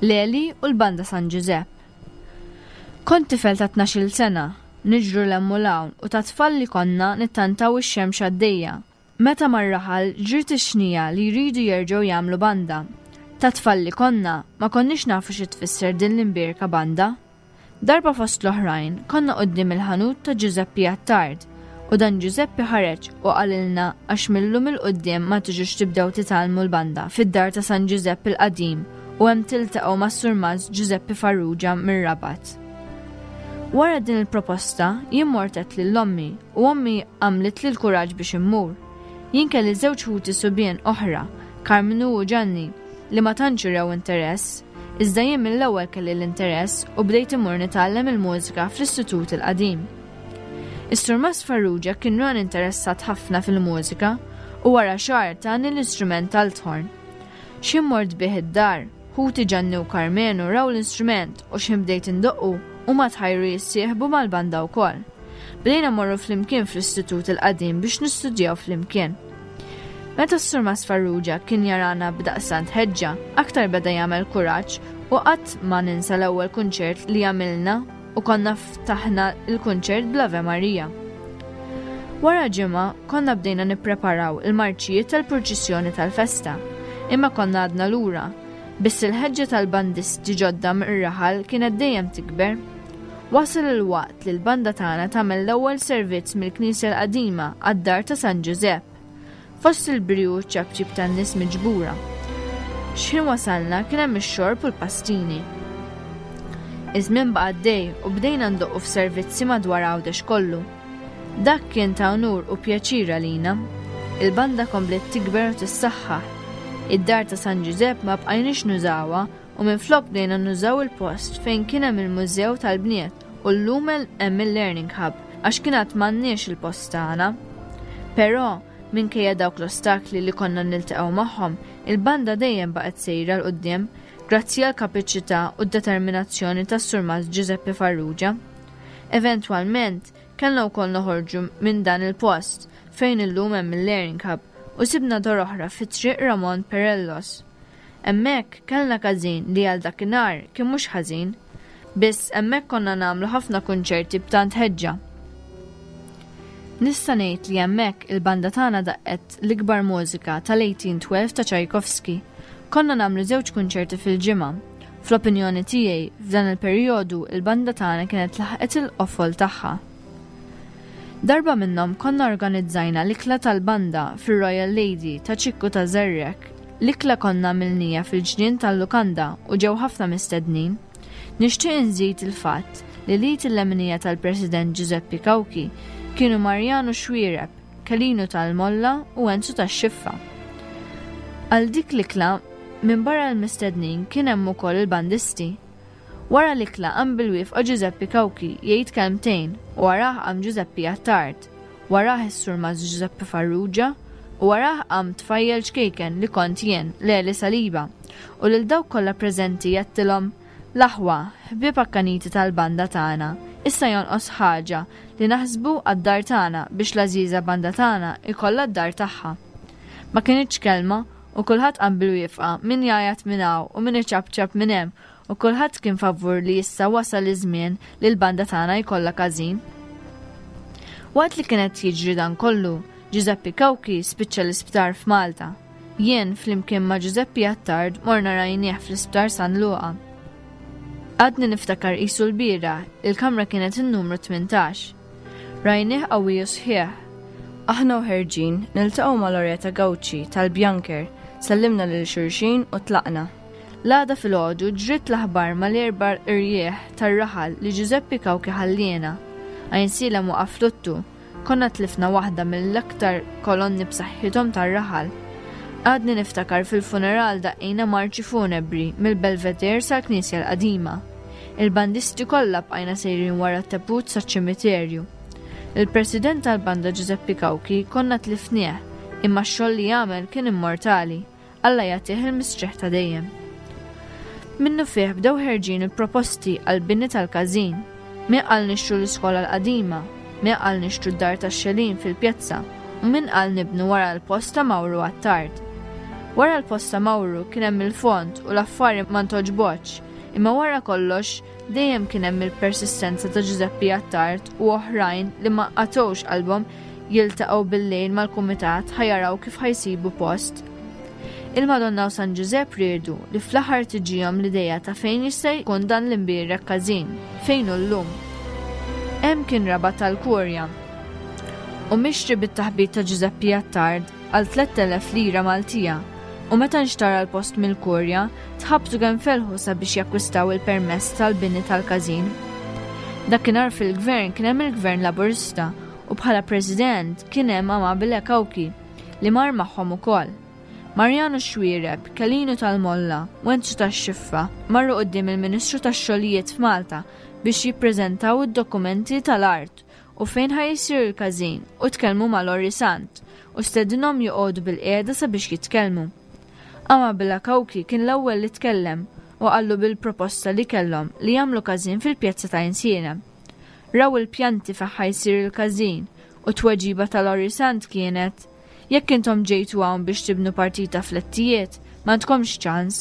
Leli u l-Banda San Ġużepp. Kont tifel ta' tnax-il sena, niġru 'l hemm u 'l hawn u ta' tfal li konna nittantaw ix-xemx għaddejja. Meta mar-raħal ġriet ix-xnija li jridu jerġgħu jagħmlu banda. Ta' tfal li konna ma konniex nafu xi tfisser din l-imbierka banda. Darba fost l-oħrajn konna quddiem il-ħanut ta' Giuseppe Attard u dan Giuseppe ħareġ u qalilna għax millum il-quddiem ma tiġux tibdew titgħallmu l-banda fid-dar ta' San Giuseppe l-qadim u hemm tiltaqgħu mas-surmast Giuseppe Farrugia mir-Rabat. Wara din il-proposta jien mortet lil ommi u ommi għamlet li l-kuraġġ biex immur. Jien kelli żewġ ħuti subien oħra, Karmnu u Ġanni, li ma tantx urew interess, iżda jien mill-ewwel kelli l-interess u bdejt immur nitgħallem il-mużika fl-istitut il-qadim. Is-Surmast Farrugia kien ran interessat ħafna fil-mużika u wara xahar tani l-istrument tal-tħorn. X'ħin mort bih id-dar, ħuti Ġanni u Karmenu raw l-istrument u x'ħin bdejt indoqqu Huma tħajru jissieħbu mal-banda wkoll. Bdejna morru flimkien fl-istitut il-qadim biex nistudjaw flimkien. Meta s-Surmas Farrugia kien jarana b'daqstant ħeġġa, aktar beda jagħmel kuraġġ u qatt ma ninsa l-ewwel kunċert li għamilna u konna ftaħna l-kunċert bl-Ave Maria. Wara ġimgħa konna bdejna nippreparaw il-marċijiet tal-purċissjoni tal-festa, imma konna għadna lura, biss il-ħeġġa tal-bandisti ġodda mir-raħal kienet dejjem tikber. Wasal il-waqt li l-banda tagħna tagħmel l-ewwel servizz mill-Knisja l-Qadima għad-dar ta' San Ġużepp. Fost il-briju u ċ-ċapċip tan-nies miġbura. X'ħin wasalna kien hemm ix-xorb u l-pastini. Iż-żmien baqa' għaddej u bdejna ndoqqu f'servizzi madwar Għawdex kollu. Dak kien ta' unur u pjaċir għalina. Il-banda kompliet tikber u tissaħħaħ. Id-dar ta' San Ġużepp ma bqajniex nużawha u minflok bdejna nużaw il-post fejn kien hemm il-Mużew tal-Bniet u llum hemm il-Learning Hub għax kien għad m'għandniex il-post tagħna. Però, minkejja dawk l-ostakli li konna niltaqgħu magħhom, il-banda dejjem baqgħet sejra 'l quddiem grazzi għal kapaċità u d-determinazzjoni tas-Surmas Giuseppe Farrugia. Eventwalment, kellna wkoll noħorġu minn dan il-post fejn illum hemm il-Learning Hub u sibna dar oħra fi Triq Ramon Perellos. Hemmhekk kellna każin li għal dakinhar kien mhux ħażin, biss hemmhekk konna nagħmlu ħafna kunċerti b'tant ħeġġa. Nista' ngħid li hemmhekk il-banda tagħna daqqet l-ikbar mużika tal-eighteen twelve ta' Tchaikovsky. Konna nagħmlu żewġ kunċerti fil-ġimgħa. Fl-opinjoni tiegħi, f'dan il-perjodu il-banda tagħna kienet laħqet il-qofol tagħha. Darba minnhom konna organizzajna l-ikla tal-banda fir-Royal Lady ta' Ċikku ta' Żerrek. L-ikla konna għamilnija fil-ġnien tal-lukanda u ġew ħafna mistednin. Nixtieq inżid il-fatt li l-id il-leminija tal-President Giuseppe Cauchi kienu Mariano Xuereb, Kelinu tal-Molla u Enzu tax-Xiffa. Għal dik l-ikla, minn barra l-mistednin kien hemm ukoll il-bandisti. Wara l-ikla qam bil-wifqa Giuseppe Cauchi jgħid kelmtejn u warah qam Giuseppe Attard, warah is-Surmas Giuseppe Farrugia u warah qam tfajjel ċkejken li kont jien, Leli Saliba, u lil dawk kollha preżenti jgħattilhom l-aħwa, ħbieb akkaniti tal-banda tagħna, issa jonqos ħaġa li naħsbu għad-dar tagħna biex l-għażiża banda tagħna ikollha d-dar tagħha. Ma kinitx kelma u kulħadd qam bil-wifqa, min jgħajjat minn hawn u min iċapċap minn hemm, u kulħadd kien favur li issa wasal iż-żmien li l-banda tagħna jkollha każin. Waqt li kienet jiġri dan kollu, Giuseppe Cauchi spiċċa l-isptar f'Malta. Jien flimkien ma' Giuseppe Attard morna rajnieh fl-isptar San Luqa. Għadni niftakar qisu l-bieraħ, il-kamra kienet in-numru tmintax. Rajnieh qawwi u sħiħ. Aħna u ħerġin niltaqgħu ma' Loretta Gauci tal-Bjanker, sellimna lil xulxin u tlaqna. L-għada filgħodu ġrid l-aħbar mal-erba' irjieħ tar-raħal li Giuseppe Cauchi ħalliena. Għajnsielem waqaf luttu, konna tlifna waħda mill-aktar kolonni b'saħħithom tar-raħal. Għadni niftakar fil-funeral daqqejna marċi funebri mill-Belvedere sal-Knisja l-Qadima. Il-bandisti kollha bqajna sejrin wara t-tebut saċ-ċimiterju. Il-president tal-banda Giuseppe Cauchi konna tlifnieh, imma x-xogħol li għamel kien immortali. Alla jagħtih il-mistrieħ ta' dejjem. Minnu fih bdew ħerġin il-proposti għall-bini tal-każin. Min qal nixtru l-iskola l-qadima, min qal nixtru d-dar tax-xelin fil-pjazza, u min qal nibnu wara l-post ta' Mawru Attard. Wara l-post ta' Mawru kien hemm il-fond u l-affari ma ntoġbotx, imma wara kollox dejjem kien hemm il-persistenza ta' Giuseppe Attard u oħrajn li ma qatgħux qalbhom jiltaqgħu bil-lejl mal-kumitat ħajaraw kif ħajsibu post. Il-Madonna u San Ġużepp riedu li fl-aħħar tiġihom l-idea ta' fejn jista' jkun dan l-imbierek każin, fejn hu llum. Hemm kien rabat tal-Kurja u mixtri bit-taħbit ta' Giuseppe Attard għal tlett elef lira Maltija, u meta nxtara l-post mill-Kurja tħabtu kemm felħu sabiex jakkwistaw il-permess tal-bini tal-każin. Dakinhar fil-gvern kien hemm il-Gvern Laburista u bħala President kien hemm Amabile Cauchi li mar magħhom ukoll. Mariano Xuereb, Kelinu tal-Molla u Enzu tax-Xiffa marru quddiem il-Ministru tax-Xogħlijiet f'Malta biex jippreżentaw id-dokumenti tal-art u fejn ħajsir il-każin u tkellmu ma' Lorry Sant u stedinhom joqogħdu bil-qiegħda sabiex jitkellmu. Amabile Cauchi kien l-ewwel li tkellem u qallu bil-proposta li kellhom li jagħmlu każin fil-pjazza ta' Għajnsielem. Raw il-pjanti fejn ħa jsir il-każin u t-tweġiba ta' Lorry Sant kienet: "Jekk intom ġejtu hawn biex tibnu partita flettijiet, m'għandkomx ċans,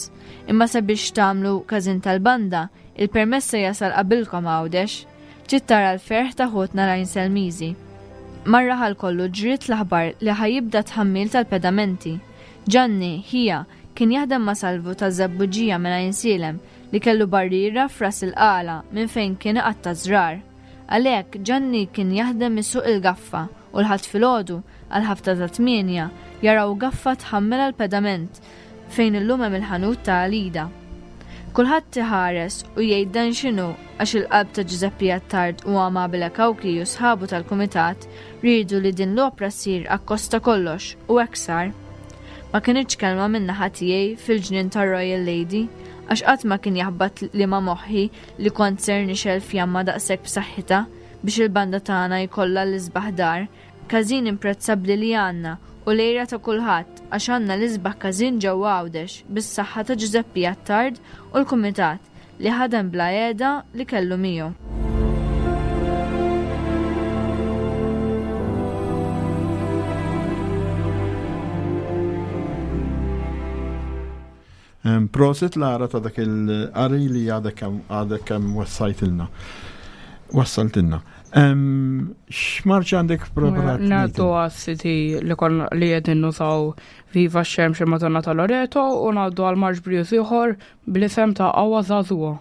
imma sabiex tagħmlu każin tal-banda, il-permess se jasal qabilkom Għawdex." Trid tara l-ferħ ta' ħutna l-Għajnselmiżi. Mar-raħal kollu ġriet l-aħbar li ħa jibda tħammil tal-pedamenti. Ġanni, ħija, kien jaħdem ma' Salvu taż-Żebbuġija minn Għajnsielem li kellu barriera f'Ras il-Qala minn fejn kien iqatta' żrar. Għalhekk Ġanni kien jaħdem isuq il-gaffa u l-Ħadd filgħodu għal ħabta ta' tmienja jaraw gaffa tħammel għall-pedament fejn illum hemm il-ħanut ta' Alida. Kulħadd iħares u jgħid dan x'inhu għax il-qalb ta' Ġużeppi Attard u Amabile Cauchi u sħabu tal-kumitat riedu li din l-opra ssir akkosta kollox u hekk sar. Ma kinitx kelma min-naħa tiegħi fil-ġnien tar-Royal Lady għax qatt ma kien jaħbat li ma' moħħi li kont ser nixgħel fjamma daqshekk b'saħħitha biex il-banda tagħna jkollha l-isbaħ dar, każin imprezzabbli li għandna u l-għira ta' kulħadd għax għandna l-isbaħ każin ġewwa Għawdex bis-saħħa ta' Ġużeppi Attard u l-kumitat li ħadem bla qiegħda li kellu miegħu. Prosit Lara ta' dak il-qari li għadek kemm għadek kemm wassajtilna. Wassaltilna. X'marċ għandek preparat? Ngħaddu għas-C D li kon li qegħdin nużaw Viva x-Xemx Madonna ta' Loreto u ngħaddu għal marċ brijuż ieħor bl-isem ta' Qawwa Żagħżugħa.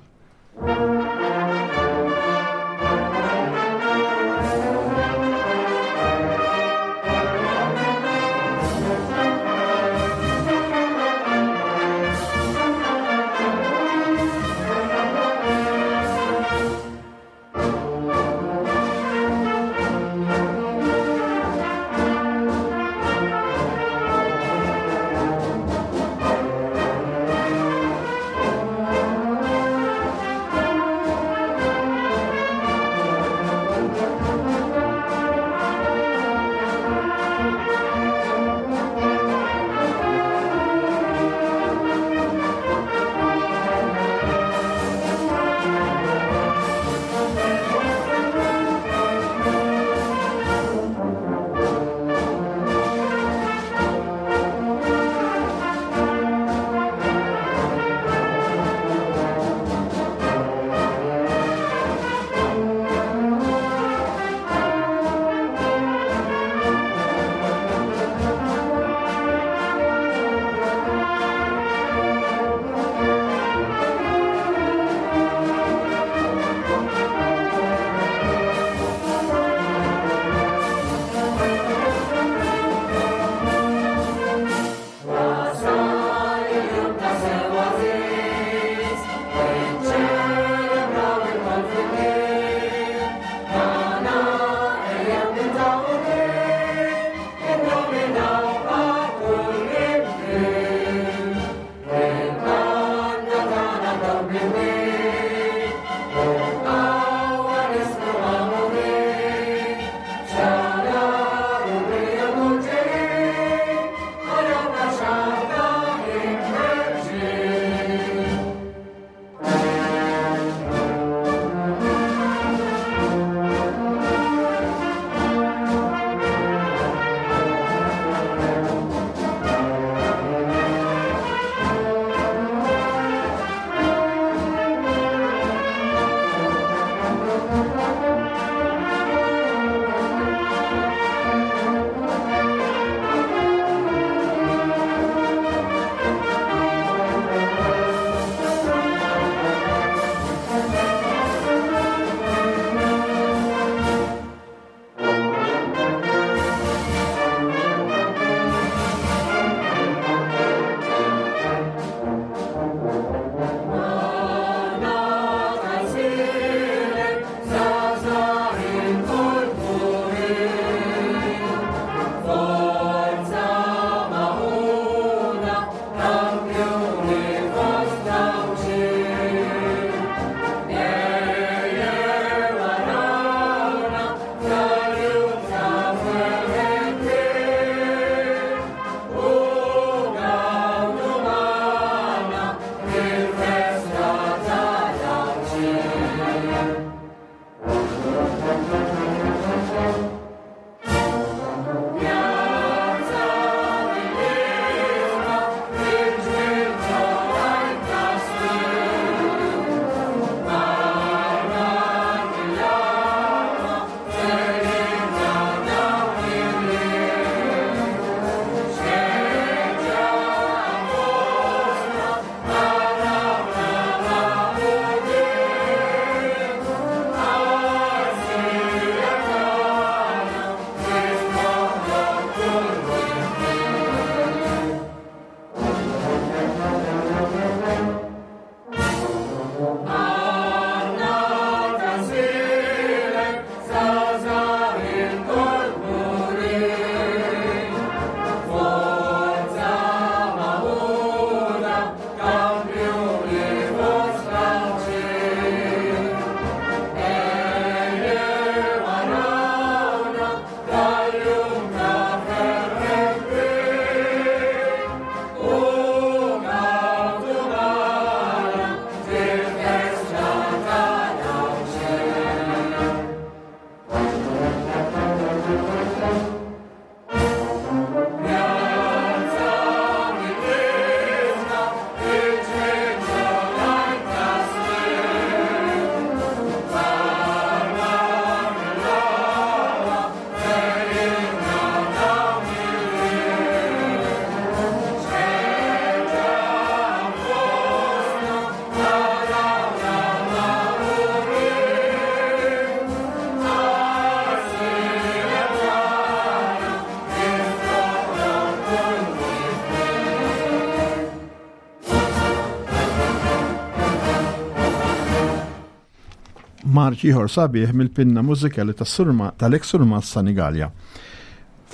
Marċ ieħor sabiħ mill-pinna mużikali tas-surma tal-eks surma Sanigalja.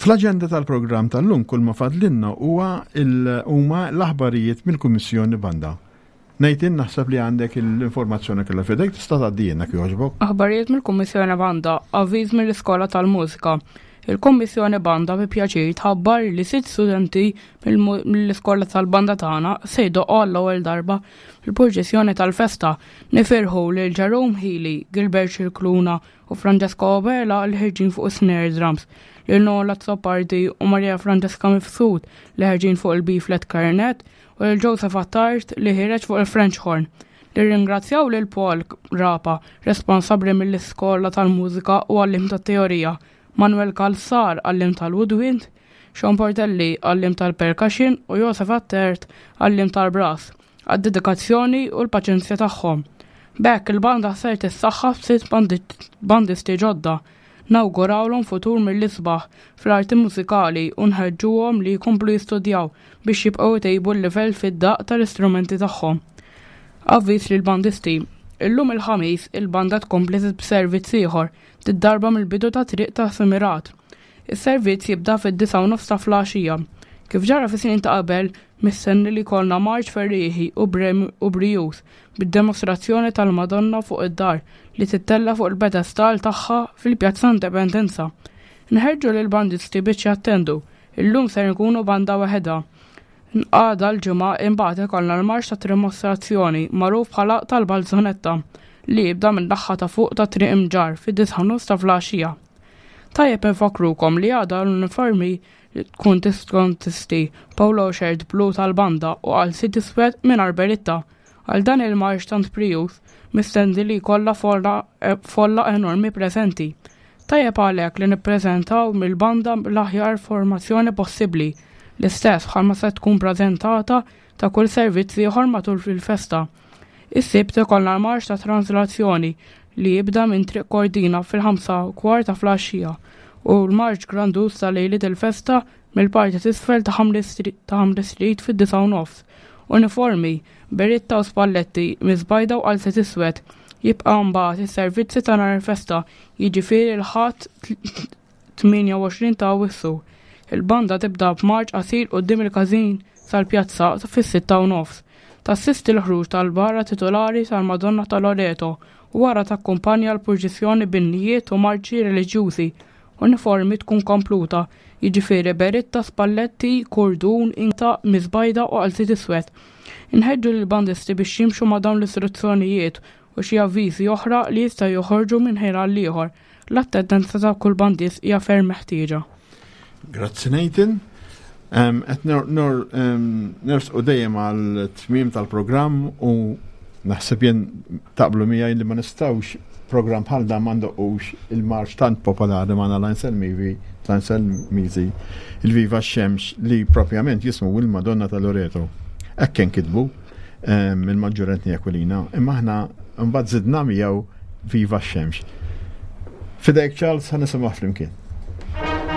Fl-aġenda tal-programm tal-lum kull ma fadlinna huwa huma l-aħbarijiet mill-Kummissjoni Banda. Nathan, naħseb li għandek l-informazzjoni kollha f'idejk, tista' tgħaddilna jogħġbok. Aħbarijiet mill-Kummissjoni Banda, avviż mill-Iskola tal-Mużika. Il-Kummissjoni Banda bi pjaċir tħabbar li sitt studenti mill-iskola tal-banda tagħna se jdoqqu għall-ewwel darba fil-purċissjoni tal-festa. Nifirħu lil Jerome Healy, Gilbert Scicluna u Francesco Oberla li ħerġin fuq snare drums, lil Nola Azzopardi u Maria Francesca Mifsud li ħerġin fuq il-B-flat clarinet u lil Joseph Attard li ħireġ fuq il-French horn. Nirringrazzjaw lil Paul Rapa, responsabbli mill-iskola tal-mużika u għalliem tat-teorija, Manuel Calzar, għalliem tal-woodwind, Sean Portelli, għalliem tal-percussion u Joseph Attert, għalliem tal-brass, għad-dedikazzjoni u l-paċenzja tagħhom. B'hekk il-banda ser tissaħħaħ b'sitt bandisti ġodda. Nawgurawlhom futur mill-isbaħ fl-arti mużikali u nħeġġuhom li jkomplu jistudjaw biex jibqgħu jtejbu l-livell fid-daq tal-istrumenti tagħhom. Avviż lill-bandisti. Illum il-Ħamis il-banda tkompli b'servizz ieħor, did-darba mill-bidu ta' triq ta' Semirat. Is-servizz jibda fid-disgħa u nofs ta' filgħaxija. Kif ġara fi snin ta' qabel, mistenni li jkollna marċ ferrieħi u brijuż bid-demostrazzjoni tal-Madonna fuq id-dar li tittella fuq il-pedestal tagħha fil-Pjazza Indipendenza. Nħeġġu lill-bandisti biex jattendu. Illum ser nkunu banda waħedha. Għada l-Ġimgħa imbagħad ikollna l-marċ ta' dimostrazzjoni magħruf bħala tal-Balzonetta li jibda minn naħa ta' fuq ta' Triq Imġarr fid-disgħa u nofs ta' filgħaxija. Tajjeb infakrukom li għada l-uniformi tkun tikkonsisti polo shirt blu tal-banda u qalziet iswed mingħajr beritta. Għal dan il-marċ tant prijuż mistenni li jkollna folla enormi preżenti. Tajjeb għalhekk li nippreżentaw mill-banda l-aħjar formazzjoni possibbli, l-istess bħalma se tkun preżentata ta' kull servizz ieħor matul fil-festa. Is-Sibt ikollna l-marċ ta' translazzjoni li jibda minn Triq Kordina fil-ħamsa u kwart ta' filgħaxija u l-marċ grandus ta' lejliet il-festa mill-parti t'isfel ta' Ħamli Street fid-disgħa u nofs. Uniformi, beritta u spalletti, miżbajda u qalziet iswed. Jibqa' mbagħad is-servizzi ta' nhar il-festa, jiġifieri l-Ħadd tmienja u għoxrin ta' Awwissu. Il-banda tibda b'marċ qasir quddiem il-każin sal-pjazza fis-sitta u nofs. Tassisti l-ħruġ tal-bara titolari tal-Madonna ta' Loreto u wara takkumpanja l-purċissjoni b'innijiet u marċi reliġjużi. Uniformi tkun kompluta, jiġifieri beritta, spalletti, kurdun, inta, miżbajda u qalziet iswed. Inħeġġu lill-bandisti biex jimxu ma' dawn l-istruzzjonijiet u xi avviżi oħra li jistgħu joħorġu minn ħin għal ieħor. L-attendenza ta' kull bandist hija ferm meħtieġa. Grazzi, Nathan. Qed nersqu dejjem għal tmiem tal-programm u naħseb jien taqblu miegħi li ma nistgħux programm bħal dan ma ndoqqux il-marċ tant popolari magħna l-Anselmivi, l-Anselmizi, il-Viva Xemx li propjament jismu il-Madonna ta' Loreto. Hekk kien kitbu il-Maġġur Anthony Aquilina, imma aħna mbagħad żidna miegħu Viva Xemx. F'idejk, Charles, ħa nisimgħu flimkien. Thank you.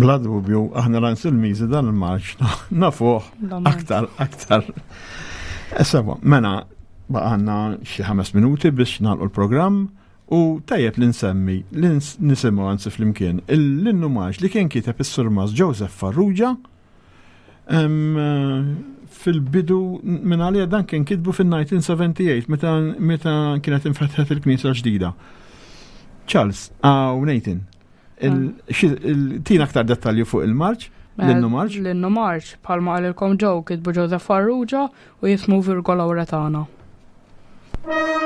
Bla dubju, aħna l-Anselmiżi dan il-marċ nafuh aktar, aktar. Sewa, mela, baqgħanna xi ħames minuti biex nagħlqu l-programm u tajjeb li nsemmi, li nisimgħu anzi flimkien, l-innu marċ li kien kiteb is-Surmas Joseph Farrugia fil-bidu minn għalija dan kien kitbu fil-nineteen seventy-eight meta, meta kienet infetħet il-knisja ġdida. Charles, aw Nathan, tina aktar dettalji fuq il-marċ, l-innu marċ? L-innu marċ, bħalma qalilkom Joe, kitbu Joseph Farrugia u jismu Virgo Lauretana. Madonna.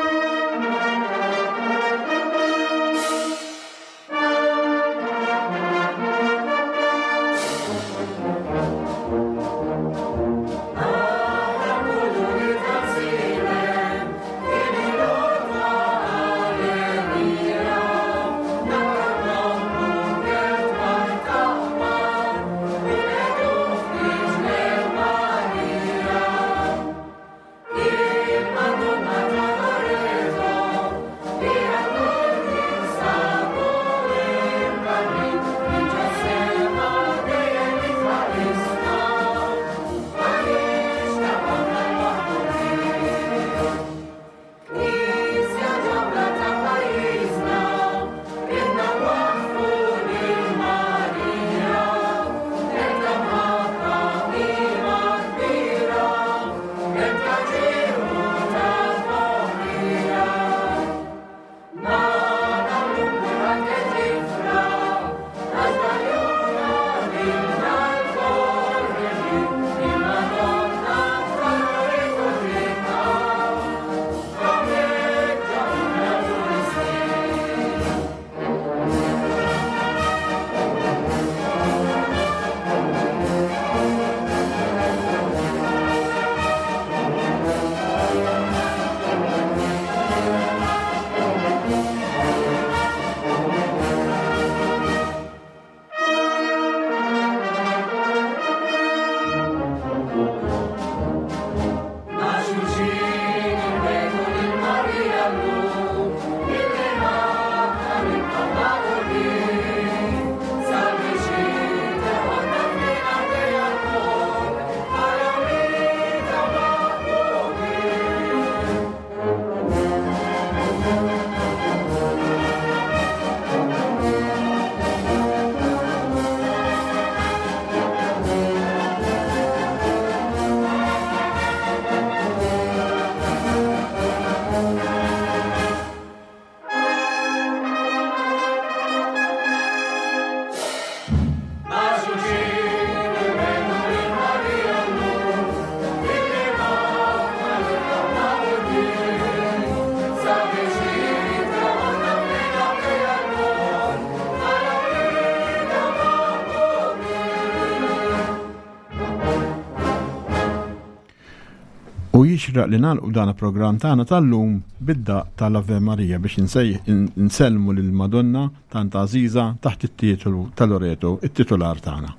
jixraq li nagħlqu dan il-programm tagħna tal-lum bid-daqq tal-Ave Maria biex insellmu lil Madonna tant għażiża taħt it-titolu ta' Loreto, it-titular tagħna.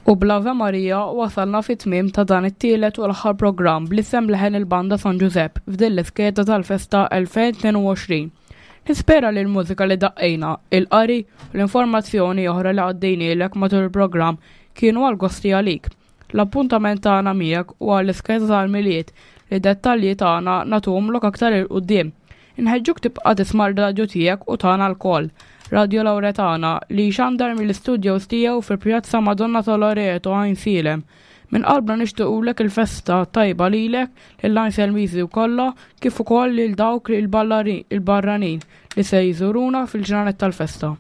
U bl-Ave Maria wasalna fit-tmiem ta' dan it-tielet u l-aħħar programm bl-isem Leħen il-Banda San Ġużepp f'din l-iskeda tal-festa elfejn tnejn u għoxrin. Nispera li l-mużika li daqqejna, il-qari u l-informazzjoni oħra li għaddejnielek matul il-programm kienu għal gosti għalik. L-appuntament tagħna miegħek u għall-iskeda tal-Milied li dettalji tagħna nagħtuhomlok aktar il quddiem. Inħeġġuk tibqa' tisma' r-radju tiegħek u tagħna lkoll. Radio Lauretana li xandar mill-istudios tiegħu fil-Pjazza Madonna ta' Loreto Għajnsielem. Minn qalbna nixtiequlek il-festa tajba lilek, lil Għajnsielmiżi kollha, kif ukoll lil dawk il-barranin li se jżuruna fil-ġranet tal-festa.